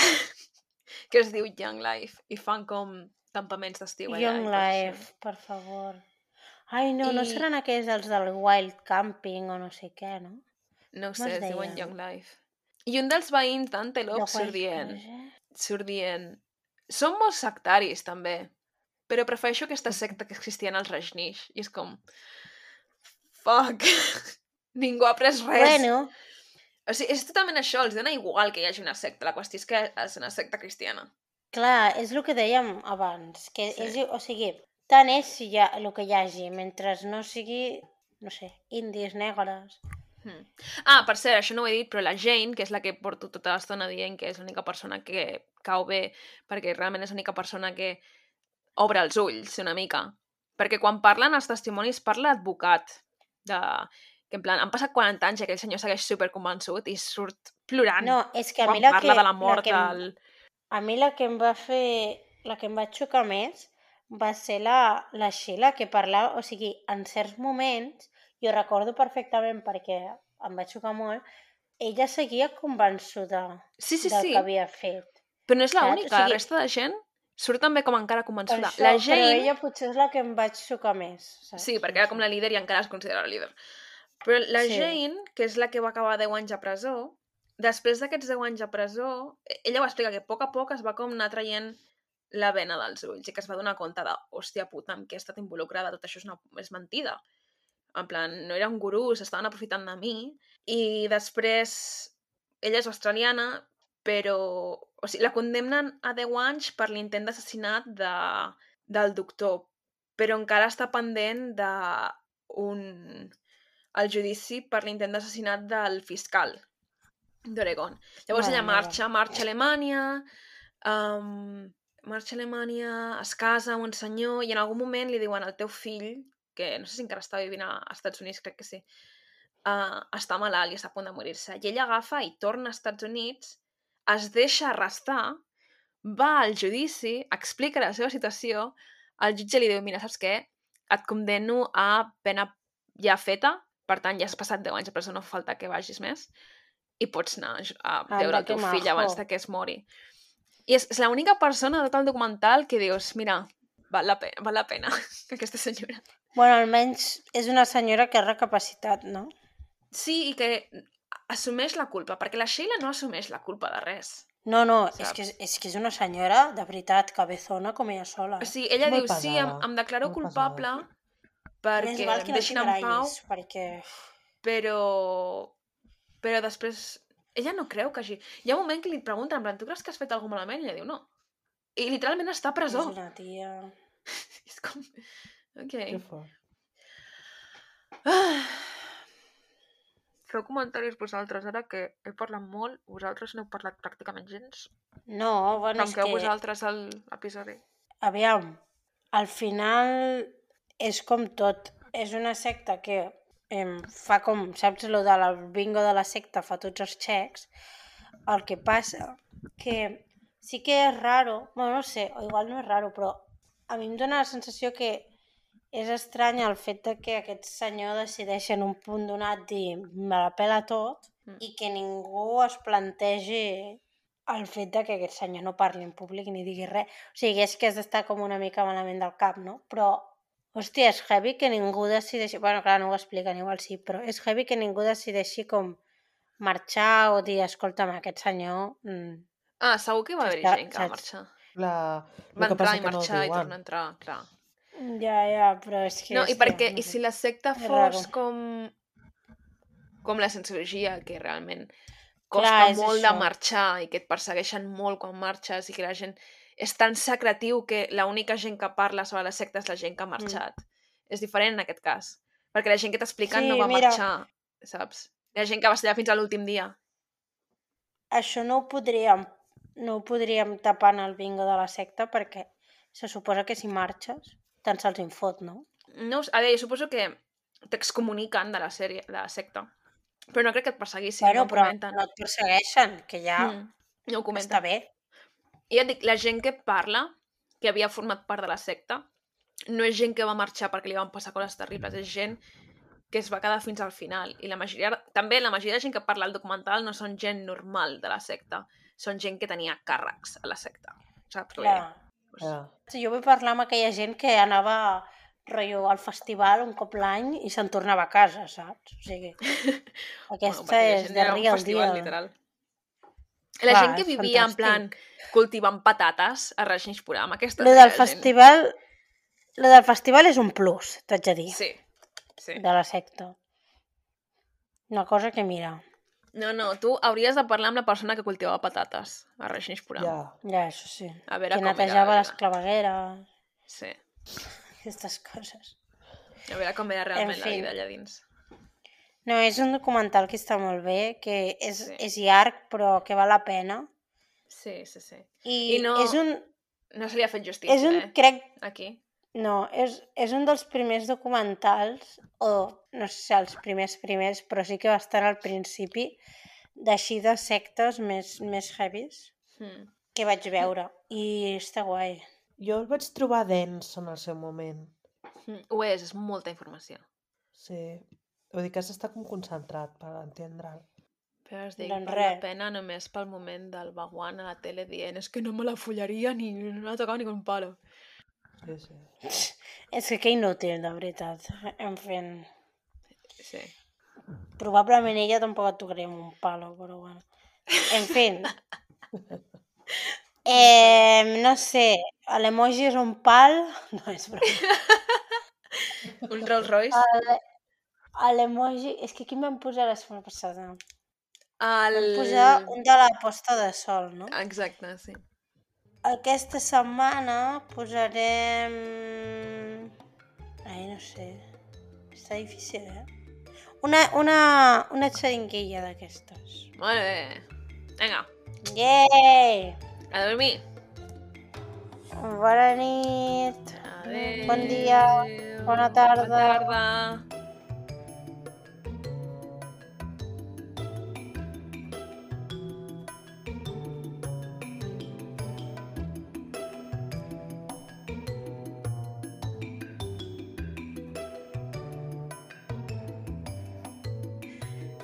que es diu Young Life, i fan com campaments d'estiu allà. Young i coses així. Life, per favor. Ai, no I- seran aquells els del Wild Camping o no sé què, no? No ho Com sé, es es diuen deien? Young Life. I un dels veïns d'Antelope The surt Wild dient, Project? són molt sectaris també, però prefereixo aquesta secta que és cristiana als Rajneesh. I és com, fuck, ningú ha après res. Bueno, O sigui, és totalment això, els dona igual que hi hagi una secta, la qüestió és que és una secta cristiana. clar, és el que dèiem abans, que Sí. és, o sigui, tant és si hi ha el que hi hagi, mentre no sigui, no sé, indis, negres. Ah, per cert, això no ho he dit, però la Jane, que és la que porto tota l'estona dient que és l'única persona que cau bé, perquè realment és l'única persona que obre els ulls una mica. Perquè quan parlen els testimonis parla l'advocat, que en plan, han passat 40 anys i aquell senyor segueix superconvençut i surt plorant No, és que a mi quan la parla que, de la mort del... a mi la que em va fer, la que em va xocar més va ser la Sheila, que parlava, o sigui, en certs moments, jo recordo perfectament perquè em va xocar molt, ella seguia convençuda Sí, del sí. que havia fet. Però no és Saps? l'única, O sigui, la resta de gent surt també com encara Per convençuda. això, La però Jane... ella potser és la que em vaig xocar més, saps? Sí, perquè era com la líder i encara es considera la líder. Però la Sí. Jane, que és la que va acabar 10 anys a presó, després d'aquests 10 anys a presó, ella va explicar que a poc es va com anar traient la vena dels ulls i que es va donar compte de, hòstia puta, amb què he estat involucrada, tot això és mentida. En plan, no era un gurú, s'estaven aprofitant de mi. I després, ella és australiana, però... O sigui, la condemnen a 10 anys per l'intent d'assassinat del doctor, però encara està pendent el judici per l'intent d'assassinat del fiscal d'Oregon. Llavors Mare ella marxa a Alemanya, es casa amb un senyor i en algun moment li diuen al teu fill, que no sé si encara està vivint als Estats Units, crec que sí, està malalt i està a punt de morir-se. I ella agafa i torna als Estats Units, es deixa arrestar, va al judici, explica la seva situació, el jutge li diu, mira, saps què? Et condemno a pena ja feta, per tant, ja has passat 10 anys a presó, no fa falta que vagis més, i pots anar a veure el teu fill abans de que es mori. I és l'única persona de tot el documental que dius, mira, val la pena aquesta senyora. Bueno, almenys és una senyora que ha recapacitat, no? Sí, i que assumeix la culpa, perquè la Sheila no assumeix la culpa de res. No, Saps? és que és una senyora, de veritat, cabezona com ella sola. O sigui, ella Molt diu, sí, pesada, em declaro molt culpable Més perquè val em que no deixin t'hi en pau, graïs, perquè... però després ella no creu que hagi... Hi ha un moment que li pregunten, en plan, tu creus que has fet alguna malament? I ella diu, no. I literalment està a presó. És una tia... És com... Ok. Que fort. Feu comentaris vosaltres, ara que he parlat molt, vosaltres no heu parlat pràcticament gens. No, bueno, és Tanqueu que... vosaltres l'episodi. Aviam, al final és com tot. És una secta que fa com, saps, lo del bingo de la secta fa tots els xecs. El que passa que sí que és raro, bueno, no sé, o igual no és raro, però a mi em dóna la sensació que és estrany el fet de que aquest senyor decideix en un punt donat dir me la pela tot i que ningú es plantegi el fet de que aquest senyor no parli en públic ni digui res. O sigui, és que has d'estar com una mica malament del cap, no? Però, hòstia, és heavy que ningú decideixi... Bueno, clar, no ho expliquen, igual sí, però és heavy que ningú decideixi com marxar o dir, escolta'm, aquest senyor... Ah, segur que va haver gent que va marxar. Va Va entrar i marxar i tornar a entrar, clar. Ja, però és que... No, i hòstia, perquè, no i sé. si la secta És fos raro. com la cienciologia, que realment costa Clar, és molt de això. marxar i que et persegueixen molt quan marxes i que la gent és tan secretiu que l'única gent que parla sobre la secta és la gent que ha marxat. És diferent en aquest cas. Perquè la gent que t'expliquen no va marxar, saps? La gent que va estar fins a l'últim dia. Això no ho podríem tapar en el bingo de la secta perquè se suposa que si marxes tant se'ls infot, no? No, a veure, jo suposo que t'excomuniquen de la sèrie, de la secta. Però no crec que et perseguissin, Bueno, no ho però comenten. no et persegueixen, que ja No ho comenten. està bé. I ja et dic, la gent que parla, que havia format part de la secta, no és gent que va marxar perquè li van passar coses terribles, és gent que es va quedar fins al final. I la majoria de gent que parla al documental no són gent normal de la secta, són gent que tenia càrrecs a la secta. Saps què vull dir? Jo vull parlar amb aquella gent que anava rotllo al festival un cop l'any i se'n tornava a casa, saps? O sigui, aquesta és de real festival, literal. La gent que vivia en plan cultivant patates a Rajneeshpuram, aquesta Lo del festival és un plus, t'haig de dir. Sí. De la secta. Una cosa que mira. No, tu hauries de parlar amb la persona que cultivava patates a Rajneeshpuram. Ja, això sí. A veure que com netejava era. Les clavegueres. Sí. Aquestes coses. A veure com era realment la vida allà dins. No, és un documental que està molt bé, que és llarg, però que val la pena. Sí. I no, és un... No se li ha fet justícia, crec... Aquí. No, és un dels primers documentals, o no sé si els primers, però sí que va estar al principi, d'així de sectes més heavies que vaig veure. I està guai. Jo el vaig trobar dens en el seu moment. Ho és molta informació. Sí, vull dir que has d'estar com concentrat per entendre'l. Però es dic, val la pena només pel moment del Bhagwan a la tele dient és que no me la follaria ni no la tocava ni con palo. Sí. És que inútil, de veritat. En fi. Sí. Probablement ella tampoc et tocaria amb un palo, però bueno. En fi. No sé, l'emoji és un pal... No, és broma. Un Rolls Royce? L'emoji... És que aquí em vam posar la setmana passada. Vam posar un de la posta de sol, no? Exacte, sí. Aquesta setmana posarem... Ai, no sé. Està difícil, Una xeringuilla d'aquestes. Molt bé. Vinga. Yay! A dormir. Bona nit. Adéu. Bon dia. Bona tarda. Bona tarda.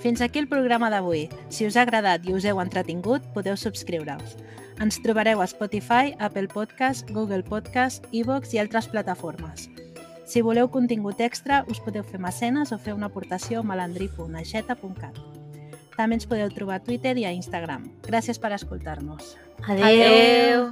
Fins aquí el programa d'avui. Si us ha agradat i us heu entretingut, podeu subscriure-us. Ens trobareu a Spotify, Apple Podcast, Google Podcast, iVoox i altres plataformes. Si voleu contingut extra, us podeu fer mecenes o fer una aportació a malandri.aixeta.cat. També ens podeu trobar a Twitter i a Instagram. Gràcies per escoltar-nos. Adéu.